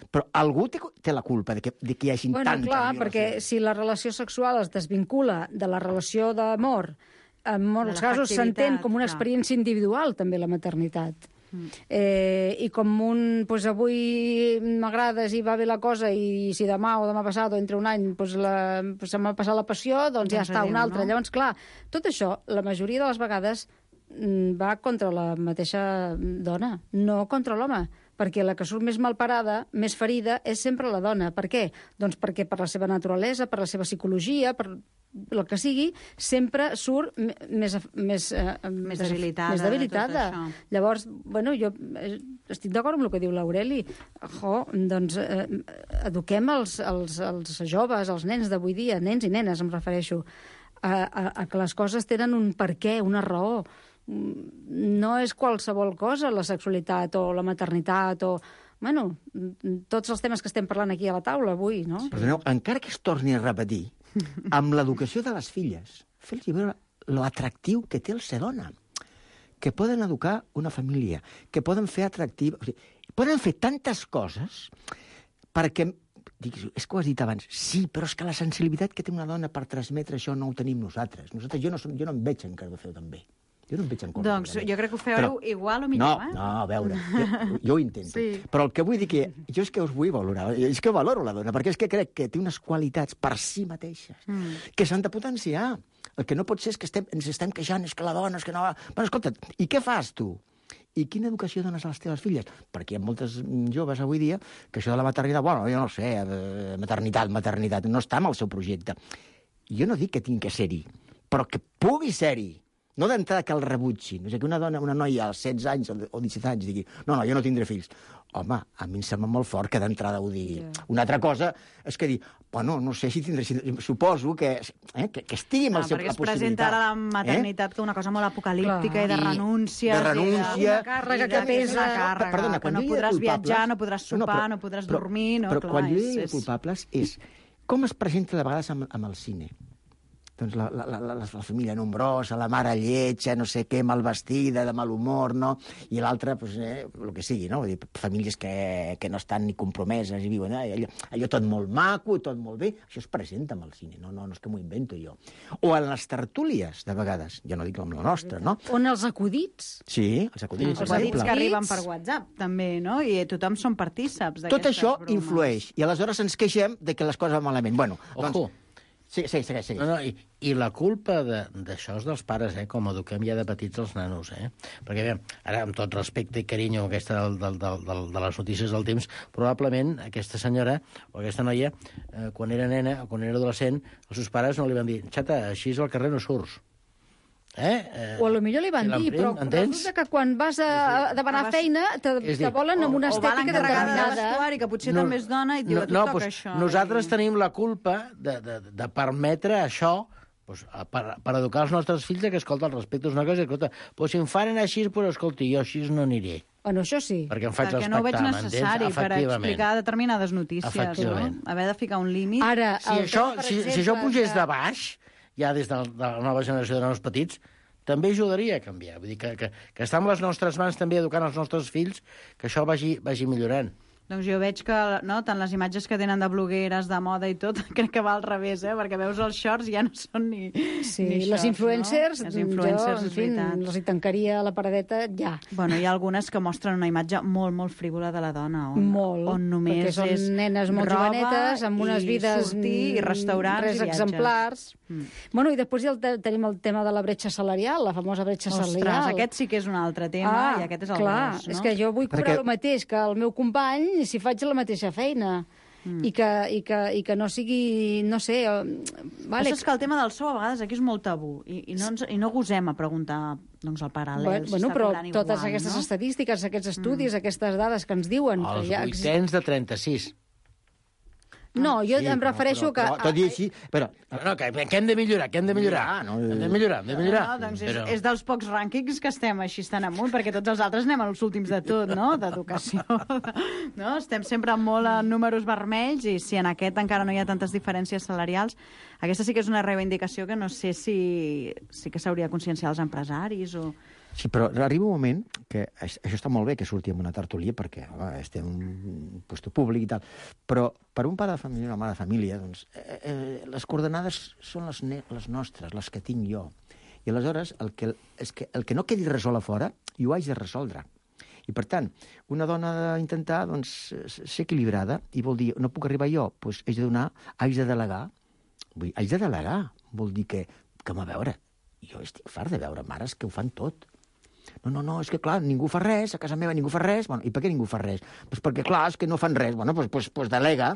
però algú té la culpa de que hi hagi tantes violacions. Perquè si la relació sexual es desvincula de la relació d'amor, en molts casos s'entén com una experiència individual, també, la maternitat. I com avui m'agrades i va bé la cosa, i si demà o demà passat o entre un any se m'ha passat la passió, doncs ja està, un altre. Llavors, clar, tot això, la majoria de les vegades, va contra la mateixa dona, no contra l'home, perquè la que surt més malparada, més ferida, és sempre la dona. Per què? Doncs perquè per la seva naturalesa, per la seva psicologia, per el que sigui, sempre surt més debilitada. Llavors, jo estic d'acord amb el que diu l'Aureli. Doncs eduquem els joves, els nens d'avui dia, nens i nenes, em refereixo, a que les coses tenen un perquè, una raó. No és qualsevol cosa, la sexualitat o la maternitat o... tots els temes que estem parlant aquí a la taula avui, no? Perdoneu, encara que es torni a repetir, amb l'educació de les filles, fer-los veure l'atractiu que té el ser dona, que poden educar una família, que poden fer atractiu... O sigui, poden fer tantes coses perquè... És que ho has dit abans. Sí, però és que la sensibilitat que té una dona per transmetre això no ho tenim nosaltres. Jo no em veig encara de fer-ho tan bé. Jo no em veig en compte. Doncs jo crec que ho feu igual o millor, No, a veure, jo ho intento. Sí. Però el que vull dir que jo és que us vull valorar, és que valoro la dona, perquè és que crec que té unes qualitats per si mateixes que s'han de potenciar. El que no pot ser és que ens estem queixant, és que la dona, és que no... Bueno, escolta, i què fas tu? I quina educació dones a les teves filles? Perquè hi ha moltes joves avui dia que això de la maternitat, jo no sé, maternitat, no està en el seu projecte. Jo no dic que tingui que ser-hi, però que pugui ser-hi. No d'entrada que el rebutgin. És que una noia als 16 anys o 17 anys digui no, jo no tindré fills. Home, a mi em sembla molt fort que d'entrada ho digui. Una altra cosa és que dir, no sé si tindré... Suposo que estigui amb la possibilitat. Perquè es presenta ara la maternitat com una cosa molt apocalíptica i de renúncia. De renúncia. Una càrrega que pesa. Perdona, que no podràs viatjar, no podràs sopar, no podràs dormir... Però quan jo dic culpables és com es presenta de vegades amb el cine. Doncs la família nombrosa, la mare lletja, no sé què, mal vestida, de mal humor, no? I l'altra, el que sigui, no? Vull dir, famílies que no estan ni compromeses i viuen allò tot molt maco, tot molt bé. Això es presenta amb el cine, no és que m'ho invento jo. O en les tertúlies, de vegades, jo no dic com la nostra, no? On els acudits. Sí, els acudits. Els acudits que arriben per WhatsApp, també, no? I tothom són partíceps d'aquestes bromes. Tot això influeix, i aleshores ens queixem de que les coses van malament. Bueno, Ojo. Sí, segueix. I la culpa d'això és dels pares, com eduquem ja de petits els nanos, Perquè, bé, ara, amb tot respecte i carinyo aquesta de les notícies del temps, probablement aquesta senyora o aquesta noia, quan era nena o quan era adolescent, els seus pares no li van dir xata, així al carrer no surts. O potser li van dir, però resulta que quan vas a demanar feina te volen amb una estètica determinada. De vestuari, que potser també és dona i diu, tu toca això. Nosaltres tenim la culpa de permetre això per educar els nostres fills que, escolta, el respecte és una cosa, escolta, si em fan anar així, escolti, jo així no aniré. Bueno, això sí. Perquè em faig respectar, no ho veig necessari per explicar determinades notícies, no? Haver de ficar un límit. Ara, si això pugés de baix, ja des de la nova generació de nanos petits, també ajudaria a canviar. Vull dir que està en les nostres mans també educant els nostres fills que això vagi millorant. Doncs jo veig que tant les imatges que tenen de blogueres, de moda i tot, crec que va al revés, perquè veus els shorts i ja no són ni les shorts, influencers, no? Les influencers, jo, en fi, els hi tancaria la paradeta ja. Bueno, hi ha algunes que mostren una imatge molt, molt frívola de la dona, on només perquè són és nenes molt jovenetes, amb unes vides... sortir, i restaurants, res i viatges. exemplars. Bueno, i després tenim el tema de la bretxa salarial, la famosa bretxa salarial. Ostres, aquest sí que és un altre tema, i aquest és el gros, no? És que jo vull cobrar el mateix que el meu company si faig la mateixa feina. I que no sigui, no sé... Vale. Això és que el tema del sou a vegades aquí és molt tabú i no gosem a preguntar doncs, el paral·lel. Bueno, però totes aquestes estadístiques, aquests estudis, aquestes dades que ens diuen... Els vuitens de 36. No, jo em refereixo que... Tot i així... Però... No, que hem de millorar, hem de millorar. Hem de millorar. No, doncs és dels pocs rànquings que estem així tan amunt, perquè tots els altres anem als últims de tot, no?, d'educació. No? Estem sempre molt en números vermells i si en aquest encara no hi ha tantes diferències salarials, aquesta sí que és una reivindicació que no sé si que s'hauria de conscienciar els empresaris o... Sí, però arriba un moment que això està molt bé que surti en una tertúlia perquè estem en un lloc públic i tal, però per un pare de família o una mare de família, doncs, les coordenades són les nostres, les que tinc jo. I aleshores el que no quedi resolt a fora, jo ho haig de resoldre. I per tant, una dona ha d'intentar doncs, ser equilibrada i vol dir, no puc arribar jo, doncs haig de donar, haig de delegar. Haig de delegar, vol dir que a veure, jo estic fart de veure mares que ho fan tot. No, és que clar, ningú fa res, a casa meva ningú fa res. Bueno, i per què ningú fa res? Doncs perquè, clar, és que no fan res. Bueno, doncs delega.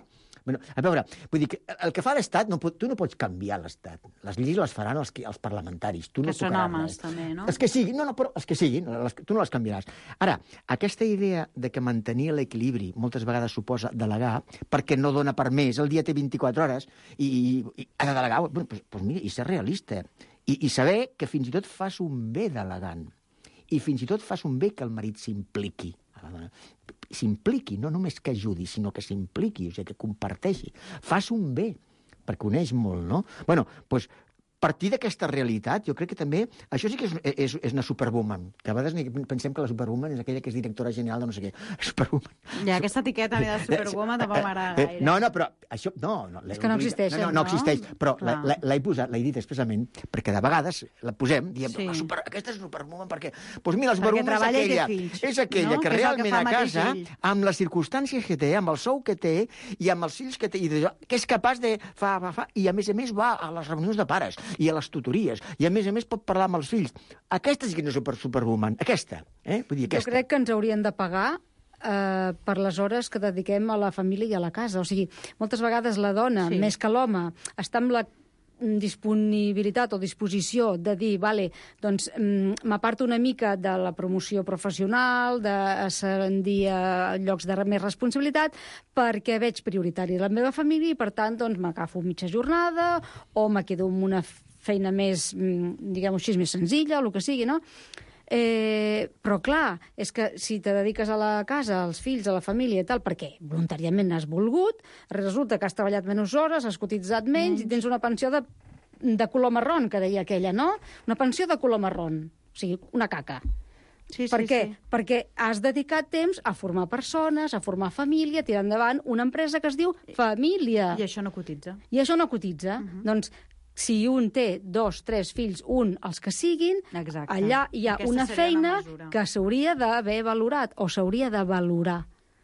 Bueno, a veure, vull dir que el que fa l'Estat, tu no pots canviar l'Estat. Les lleis les faran els parlamentaris. Tu no que són homes, també, no? Els que siguin, però els que siguin, tu no les canviaràs. Ara, aquesta idea de que mantenir l'equilibri moltes vegades suposa delegar, perquè no dona per més, el dia té 24 hores, i ha de delegar, doncs mira, i ser realista. I saber que fins i tot fas un bé delegant. I fins i tot fas un bé que el marit s'impliqui. S'impliqui, no només que ajudi, sinó que s'impliqui, o sigui, que comparteixi. Fas un bé, perquè uneix molt, no? Bueno, doncs, partir d'aquesta realitat, jo crec que també... Això sí que és una superwoman. Que a vegades pensem que la superwoman és aquella que és directora general de no sé què. Superwoman. Ja, aquesta etiqueta de superwoman tampoc m'agrada gaire. No, però això... No, és que no existeix, no existeix, però l'he posat, l'he dit expressament, perquè de vegades la posem, diem, aquesta és superwoman, perquè... Doncs mira, la superwoman és aquella que realment a casa, amb les circumstàncies que té, amb el sou que té, i amb els fills que té, que és capaç de... I a més va a les reunions de pares, i a les tutories, i a més pot parlar amb els fills. Aquesta sí que no és superwoman, aquesta. Vull dir, aquesta. Jo crec que ens haurien de pagar per les hores que dediquem a la família i a la casa. O sigui, moltes vegades la dona, més que l'home, està amb la disponibilitat o disposició de dir, vale, doncs m'aparto una mica de la promoció professional, d'ascendir a llocs de més responsabilitat, perquè veig prioritari la meva família i, per tant, doncs m'agafo mitja jornada o me quedo amb una feina més, diguem-ho així, més senzilla, o el que sigui, no? Però clar, és que si te dediques a la casa, als fills, a la família i tal, perquè voluntàriament has volgut, resulta que has treballat menys hores, has cotitzat menys i tens una pensió de color marrón, que deia aquella, no? Una pensió de color marrón, o sigui, una caca. Per què? Perquè has dedicat temps a formar persones, a formar família, a tirar endavant una empresa que es diu família. I això no cotitza. Doncs si un té 2, 3 fills, els que siguin, allà hi ha una feina que s'hauria d'haver valorat o s'hauria de valorar.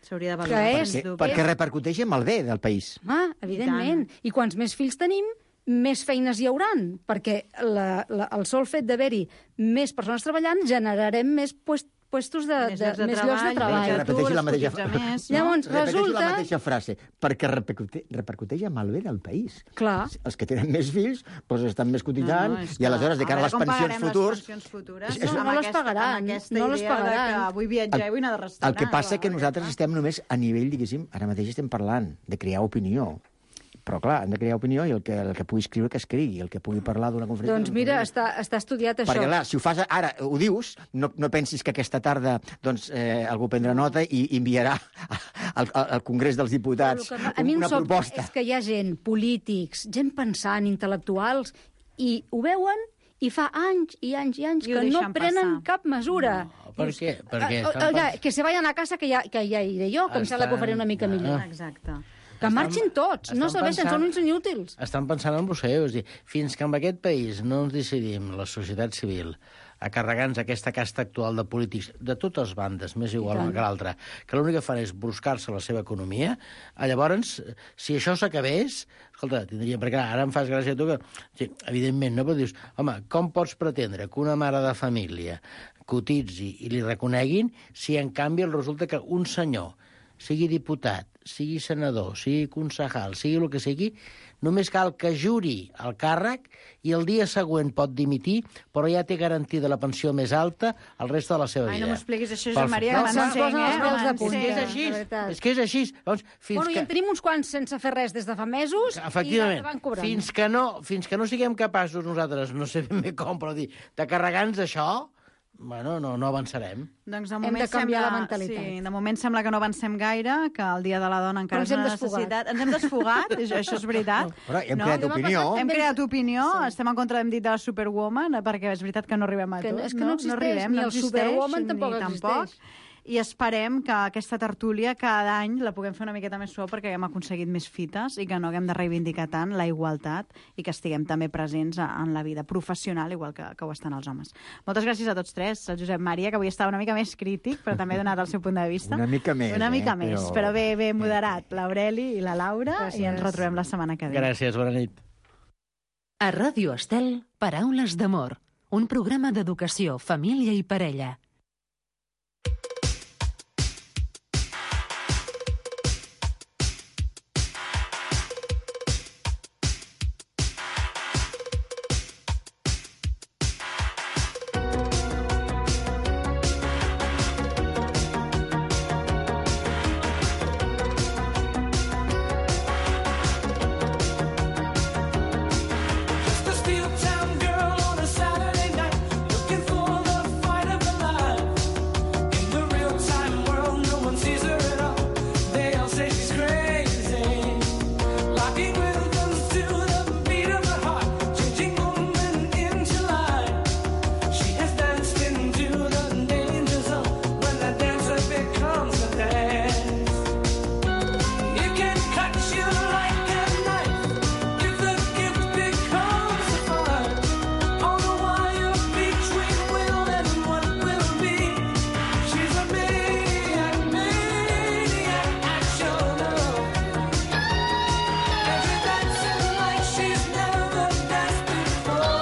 S'hauria de valorar. Perquè repercuteix en el bé del país. Evidentment. I quants més fills tenim, més feines hi hauran, perquè el sol fet d'haver-hi més persones treballant generarem més puestos més llocs de treball. Repeteixi la mateixa frase. Llavors, resulta... la mateixa frase, perquè repercuteix amb el bé del país. Clar. Els que tenen més fills estan més cotitzant i aleshores, de cara a les pensions futures... No les pagaran. No les pagaran. Que vull viatjar i vull anar de restaurant. El que passa és que nosaltres estem només a nivell, diguéssim, ara mateix estem parlant de crear opinió. Però, clar, hem de crear opinió i el que pugui escriure, que escrigui. El que pugui parlar d'una conferència... Doncs mira, està estudiat això. Perquè, clar, si ho fas ara, ho dius, no pensis que aquesta tarda algú prendrà nota i enviarà al Congrés dels Diputats una proposta. A mi em sobta és que hi ha gent, polítics, gent pensant, intel·lectuals, i ho veuen i fa anys i anys i anys I ho que no deixen prenen passar. cap mesura. No, per què? Perquè Oiga, que se vayan a casa, que ja iré jo, que em sembla que ho faré una mica millor. Exacte. Que marxin tots, no serveixen, són uns inútils. Estan pensant en vostè, és dir, fins que en aquest país no ens decidim, la societat civil, a carregar-nos aquesta casta actual de polítics de totes bandes, més igual una que l'altra, que l'únic que fan és bruscar-se la seva economia, llavors, si això s'acabés, escolta, tindríem, perquè clar, ara em fas gràcia a tu que, sí, evidentment, no? Però dius, home, com pots pretendre que una mare de família cotitzi i li reconeguin si, en canvi, resulta que un senyor, sigui diputat, sigui senador, sigui concejal, sigui el que sigui, només cal que juri el càrrec i el dia següent pot dimitir, però ja té garantida la pensió més alta el reste de la seva vida. Ai, no m'expliquis això, Josep Maria, que És que és així. Doncs, Bueno, i en tenim uns quants sense fer res des de fa mesos i ja van cobrant. Fins que no siguem capaços nosaltres, no sé ben bé com, però dir, de carregar-nos això, bueno, no avançarem. Doncs de Hem moment de canviar sembla, la mentalitat. Sí, de moment sembla que no avancem gaire, que el Dia de la Dona encara Però és una necessitat. Ens hem desfogat, això és veritat. Però hem creat opinió. Hem creat opinió, estem en contra, hem dit, de la Superwoman, perquè és veritat que no arribem a tot. És que no existeix, ni el Superwoman tampoc existeix. I esperem que aquesta tertúlia cada any la puguem fer una miqueta més suau perquè haguem aconseguit més fites i que no haguem de reivindicar tant la igualtat i que estiguem també presents en la vida professional, igual que ho estan els homes. Moltes gràcies a tots tres. El Josep Maria, que avui estava una mica més crític, però també ha donat el seu punt de vista. Una mica més. Una mica més, però bé moderat. L'Aureli i la Laura, Gràcies. i ens retrobem la setmana que ve. Gràcies, bona nit. A Ràdio Estel, Paraules d'amor. Un programa d'educació, família i parella. Just a steel town girl on a Saturday night, looking for the fight of her life. In the real-time world, no one sees her at all. They all say she's crazy, locking rhythms to the beat of her heart, changing moment into life. She has danced into the danger zone when the dancer becomes a dance. It can cut you like a knife if the gift becomes a fire. On the wire between will and what will be. She's a maniac, action. And she's dancing like she's never danced before.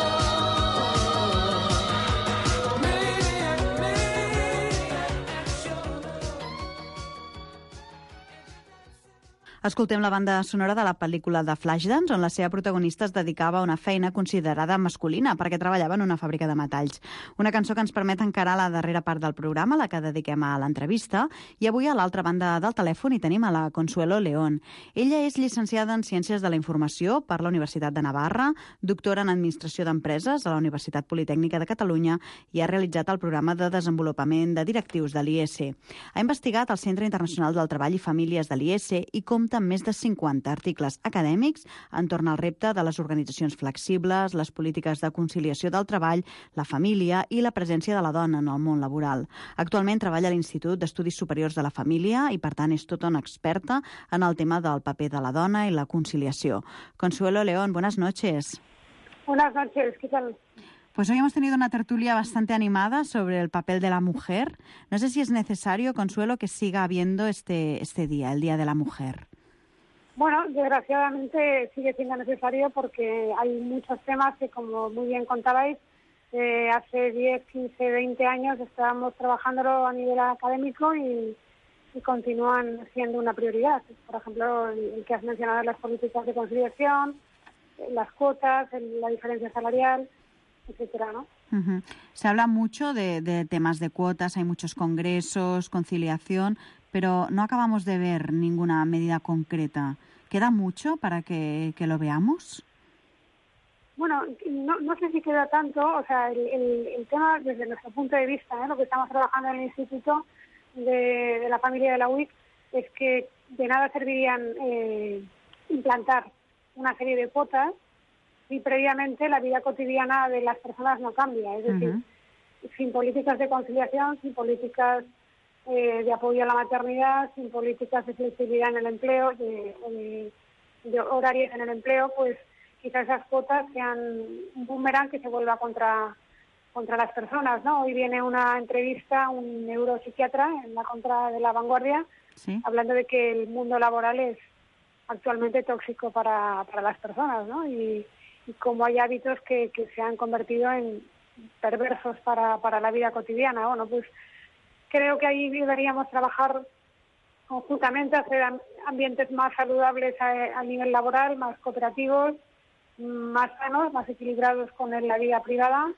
Maniac, action. Escoltem la banda sonora de la pel·lícula de Flashdance, on la seva protagonista es dedicava a una feina considerada masculina perquè treballava en una fàbrica de metalls. Una cançó que ens permet encarar la darrera part del programa, la que dediquem a l'entrevista, i avui a l'altra banda del telèfon hi tenim a la Consuelo León. Ella és llicenciada en Ciències de la Informació per la Universitat de Navarra, doctora en Administració d'Empreses a la Universitat Politècnica de Catalunya i ha realitzat el programa de desenvolupament de directius de l'IES. Ha investigat al Centre Internacional del Treball i Famílies de l'IES i compta amb més de 50 articles acadèmics entorn al repte de les organitzacions flexibles, les polítiques de conciliació del treball, la família i la presència de la dona en el món laboral. Actualment treballa a l'Institut d'Estudis Superiors de la Família i, per tant, és tota una experta en el tema del paper de la dona i la conciliació. Consuelo León, buenas noches. Buenas noches, ¿qué tal? Pues hoy hemos tenido una tertulia bastante animada sobre el papel de la mujer. No sé si es necesario, Consuelo, que siga habiendo este día, el Día de la Mujer. Bueno, desgraciadamente sigue siendo necesario porque hay muchos temas que, como muy bien contabais, hace 10, 15, 20 años estábamos trabajándolo a nivel académico y continúan siendo una prioridad. Por ejemplo, el que has mencionado, las políticas de conciliación, las cuotas, la diferencia salarial, etcétera, ¿no? Uh-huh. Se habla mucho de temas de cuotas, hay muchos congresos, conciliación, pero no acabamos de ver ninguna medida concreta. ¿Queda mucho para que lo veamos? Bueno, no sé si queda tanto. O sea, el tema, desde nuestro punto de vista, lo que estamos trabajando en el Instituto de la Familia de la UIC, es que de nada servirían implantar una serie de cuotas si previamente la vida cotidiana de las personas no cambia. Es decir, sin políticas de conciliación, sin políticas de apoyo a la maternidad, sin políticas de flexibilidad en el empleo, de horarios en el empleo, pues quizás esas cuotas sean un boomerang que se vuelva contra las personas, ¿no? Hoy viene una entrevista, un neuropsiquiatra en la contra de La Vanguardia, hablando de que el mundo laboral es actualmente tóxico para las personas, ¿no? Y cómo hay hábitos que se han convertido en perversos para la vida cotidiana. Bueno, pues creo que ahí deberíamos trabajar conjuntamente, hacer ambientes más saludables a nivel laboral, más cooperativos, más sanos, más equilibrados con la vida privada.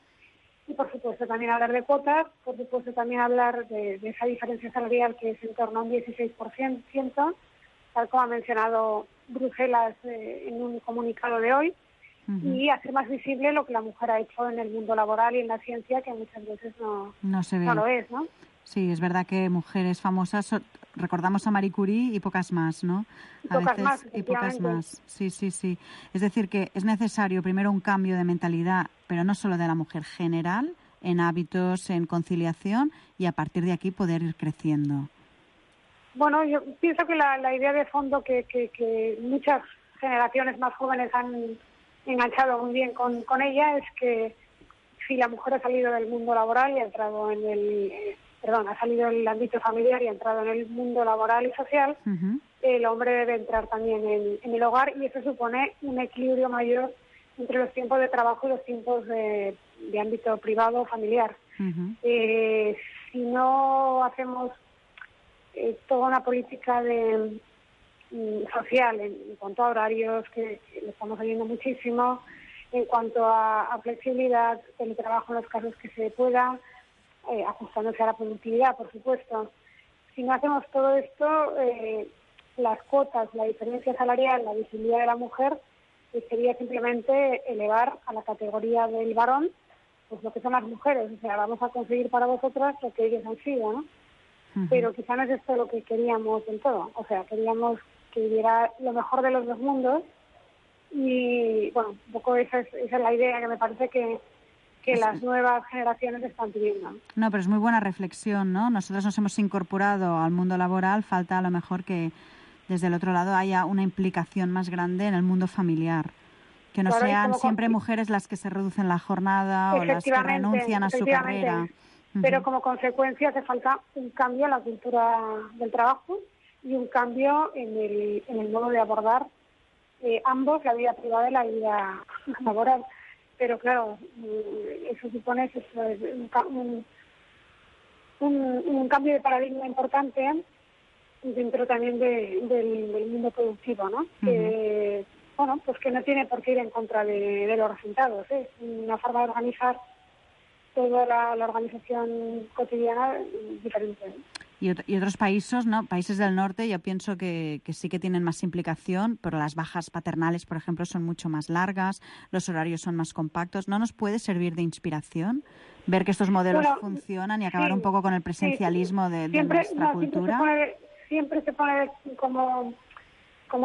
Y, por supuesto, también hablar de cuotas, por supuesto, también hablar de esa diferencia salarial que es en torno a un 16%, tal como ha mencionado Bruselas en un comunicado de hoy, y hacer más visible lo que la mujer ha hecho en el mundo laboral y en la ciencia, que muchas veces no se ve. No lo es, ¿no? Sí, es verdad que mujeres famosas, recordamos a Marie Curie y pocas más, ¿no? Y pocas más. Sí. Es decir, que es necesario primero un cambio de mentalidad, pero no solo de la mujer, general, en hábitos, en conciliación, y a partir de aquí poder ir creciendo. Bueno, yo pienso que la idea de fondo que muchas generaciones más jóvenes han enganchado muy bien con ella es que si la mujer ha salido del mundo laboral y ha entrado ha salido del ámbito familiar y ha entrado en el mundo laboral y social, el hombre debe entrar también en el hogar, y eso supone un equilibrio mayor entre los tiempos de trabajo y los tiempos de ámbito privado o familiar. Si no hacemos toda una política social en cuanto a horarios, que lo estamos oyendo muchísimo, en cuanto a flexibilidad, teletrabajo en los casos que se pueda, ajustándose a la productividad, por supuesto. Si no hacemos todo esto, las cuotas, la diferencia salarial, la visibilidad de la mujer, sería simplemente elevar a la categoría del varón pues lo que son las mujeres. O sea, vamos a conseguir para vosotras lo que ellos han sido, ¿no? Pero quizá no es esto lo que queríamos del todo. O sea, queríamos que hubiera lo mejor de los dos mundos, y bueno, un poco esa es la idea que me parece que las nuevas generaciones están pidiendo. No, pero es muy buena reflexión, ¿no? Nosotros nos hemos incorporado al mundo laboral, falta a lo mejor que desde el otro lado haya una implicación más grande en el mundo familiar. Que no sean siempre mujeres las que se reducen la jornada o las que renuncian a su carrera. Pero como consecuencia hace falta un cambio en la cultura del trabajo y un cambio en el modo de abordar ambos, la vida privada y la vida laboral. Pero claro, eso supone un cambio de paradigma importante dentro también del mundo productivo, ¿no? Que, bueno, pues que no tiene por qué ir en contra de los resultados, ¿eh? Es una forma de organizar toda la organización cotidiana diferente, ¿no? Y otros países, ¿no? Países del norte, yo pienso que sí que tienen más implicación, pero las bajas paternales, por ejemplo, son mucho más largas, los horarios son más compactos. ¿No nos puede servir de inspiración ver que estos modelos funcionan y acabar un poco con el presencialismo de nuestra cultura? Siempre se pone como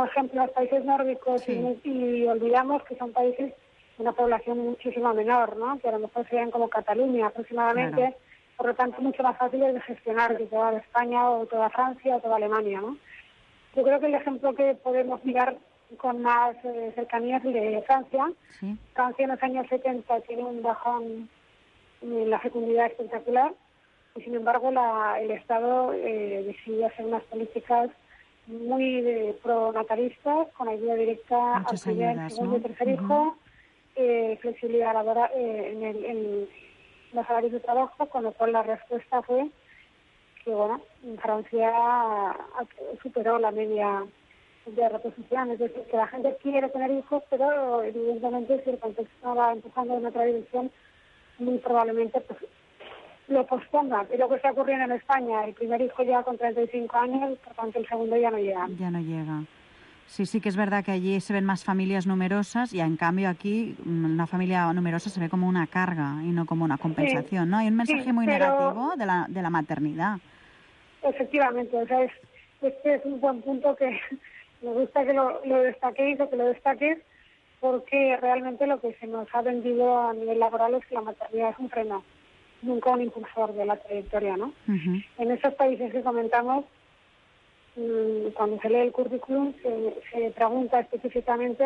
ejemplo los países nórdicos, y olvidamos que son países de una población muchísimo menor, ¿no? Que a lo mejor serían como Cataluña aproximadamente. Claro. Por lo tanto, mucho más fáciles de gestionar que toda España o toda Francia o toda Alemania, ¿no? Yo creo que el ejemplo que podemos mirar con más cercanía es el de Francia. Francia en los años 70 tiene un bajón en la fecundidad espectacular, y sin embargo el Estado decidió hacer unas políticas muy pronatalistas, con ayuda directa al primer, segundo y tercer hijo, flexibilidad laboral en los salarios de trabajo, con lo cual la respuesta fue que, bueno, Francia superó la media de reposición. Es decir, que la gente quiere tener hijos, pero evidentemente si el contexto va empujando en otra dirección, muy probablemente pues lo posponga. Y lo que está ocurriendo en España, el primer hijo llega con 35 años, por tanto el segundo ya no llega. Ya no llega. Sí que es verdad que allí se ven más familias numerosas, y en cambio aquí una familia numerosa se ve como una carga y no como una compensación, ¿no? Hay un mensaje muy negativo de la maternidad. Efectivamente, o sea, este es un buen punto que me gusta que lo destaquéis o que lo destaques, porque realmente lo que se nos ha vendido a nivel laboral es que la maternidad es un freno, nunca un impulsor de la trayectoria, ¿no? En esos países que comentamos, cuando se lee el currículum, se pregunta específicamente,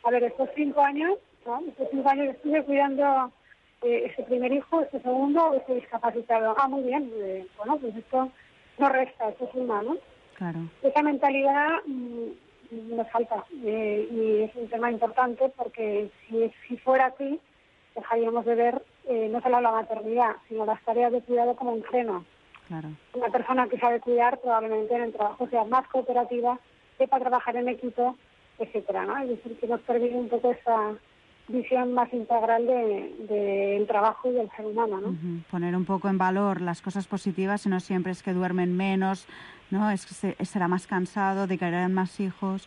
a ver, estos 5 años, ¿no? Estos 5 años estuve cuidando ese primer hijo, este segundo, o este discapacitado. Ah, muy bien, bueno, pues esto no resta, esto suma, ¿no? Claro. Esa mentalidad nos falta, y es un tema importante porque si fuera así, dejaríamos de ver no solo la maternidad, sino las tareas de cuidado como un freno. Claro. Una persona que sabe cuidar probablemente en el trabajo sea más cooperativa, sepa trabajar en equipo, etcétera, ¿no? Es decir, que nos permite un poco esa visión más integral del trabajo y del ser humano, ¿no? Poner un poco en valor las cosas positivas y no siempre es que duermen menos, ¿no? Es que será más cansado, de que harán más hijos,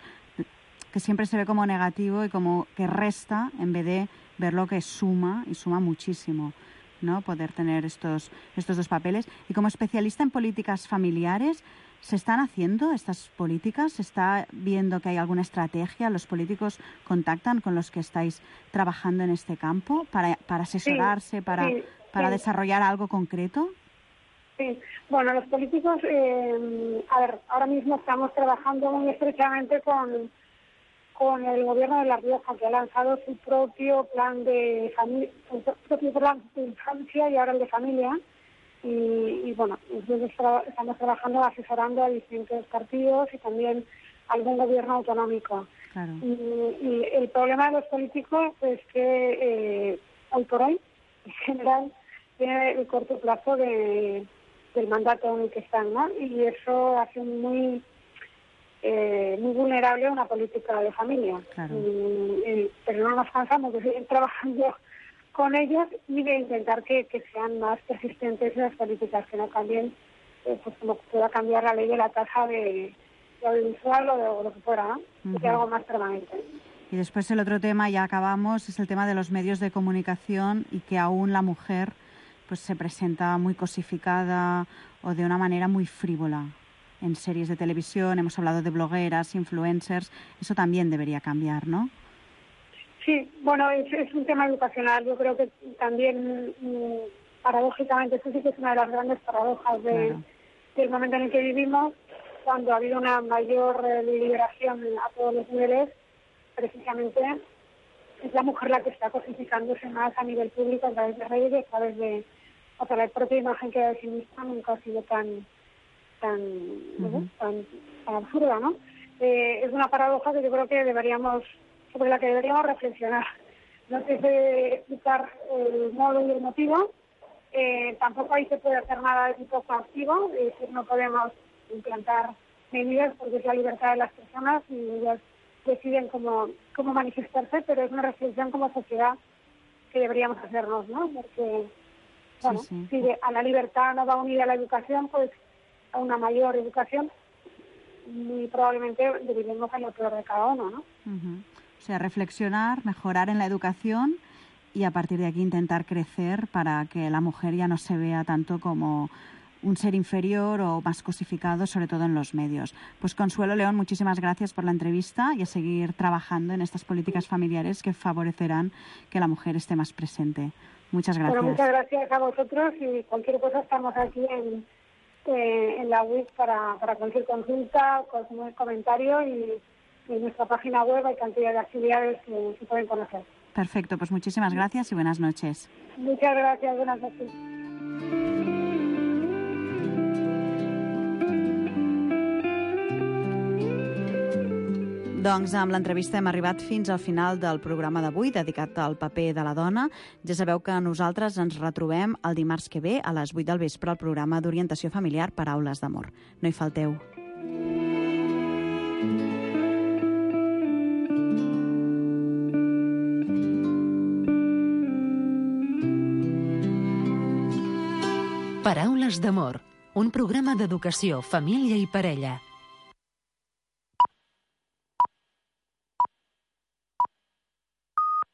que siempre se ve como negativo y como que resta en vez de ver lo que suma, y suma muchísimo, ¿no? Poder tener estos 2 papeles. Y como especialista en políticas familiares, ¿se están haciendo estas políticas? ¿Se está viendo que hay alguna estrategia? ¿Los políticos contactan con los que estáis trabajando en este campo para asesorarse, para desarrollar algo concreto? Sí, bueno, los políticos, a ver, ahora mismo estamos trabajando muy estrechamente con el gobierno de La Rioja, que ha lanzado su propio plan de familia, su propio plan de infancia y ahora el de familia. Y bueno, nosotros estamos trabajando asesorando a distintos partidos y también algún gobierno autonómico. Claro. Y el problema de los políticos es que hoy por hoy, en general, tiene el corto plazo del mandato en el que están, ¿no? Y eso hace muy vulnerable una política de familia. Claro. Pero no nos cansamos de seguir trabajando con ellos y de intentar que sean más persistentes las políticas, que no cambien, pues como pueda cambiar la ley de la tasa de audiovisual o de lo que fuera, ¿no? Que sea algo más permanente. Y después el otro tema, ya acabamos, es el tema de los medios de comunicación y que aún la mujer pues se presenta muy cosificada o de una manera muy frívola en series de televisión. Hemos hablado de blogueras, influencers, eso también debería cambiar, ¿no? Sí, bueno, es un tema educacional. Yo creo que también, paradójicamente, eso sí que es una de las grandes paradojas del momento en el que vivimos, cuando ha habido una mayor liberación a todos los niveles, precisamente es la mujer la que está cosificándose más a nivel público a través de redes, a través de, o sea, la propia imagen que da de sí misma nunca ha sido tan absurda, ¿no? Es una paradoja que yo creo que sobre la que deberíamos reflexionar. No sé si explicar el modo y el motivo. Tampoco ahí se puede hacer nada de tipo coactivo, es decir, no podemos implantar medidas porque es la libertad de las personas y ellas deciden cómo manifestarse, pero es una reflexión como sociedad que deberíamos hacernos, ¿no? Porque, bueno, si a la libertad no va unida a la educación, pues a una mayor educación, muy probablemente viviremos en lo peor de cada uno, ¿no? O sea, reflexionar, mejorar en la educación y a partir de aquí intentar crecer para que la mujer ya no se vea tanto como un ser inferior o más cosificado, sobre todo en los medios. Pues Consuelo León, muchísimas gracias por la entrevista y a seguir trabajando en estas políticas familiares que favorecerán que la mujer esté más presente. Muchas gracias. Bueno, muchas gracias a vosotros y cualquier cosa estamos aquí en la web para cualquier consulta, cualquier comentario y en nuestra página web hay cantidad de actividades que se pueden conocer. Perfecto, pues muchísimas gracias y buenas noches. Muchas gracias, buenas noches. Doncs amb l'entrevista hem arribat fins al final del programa d'avui dedicat al paper de la dona. Ja sabeu que nosaltres ens retrobem el dimarts que ve a les 8 del vespre al programa d'orientació familiar Paraules d'amor. No hi falteu. Paraules d'amor, un programa d'educació, família i parella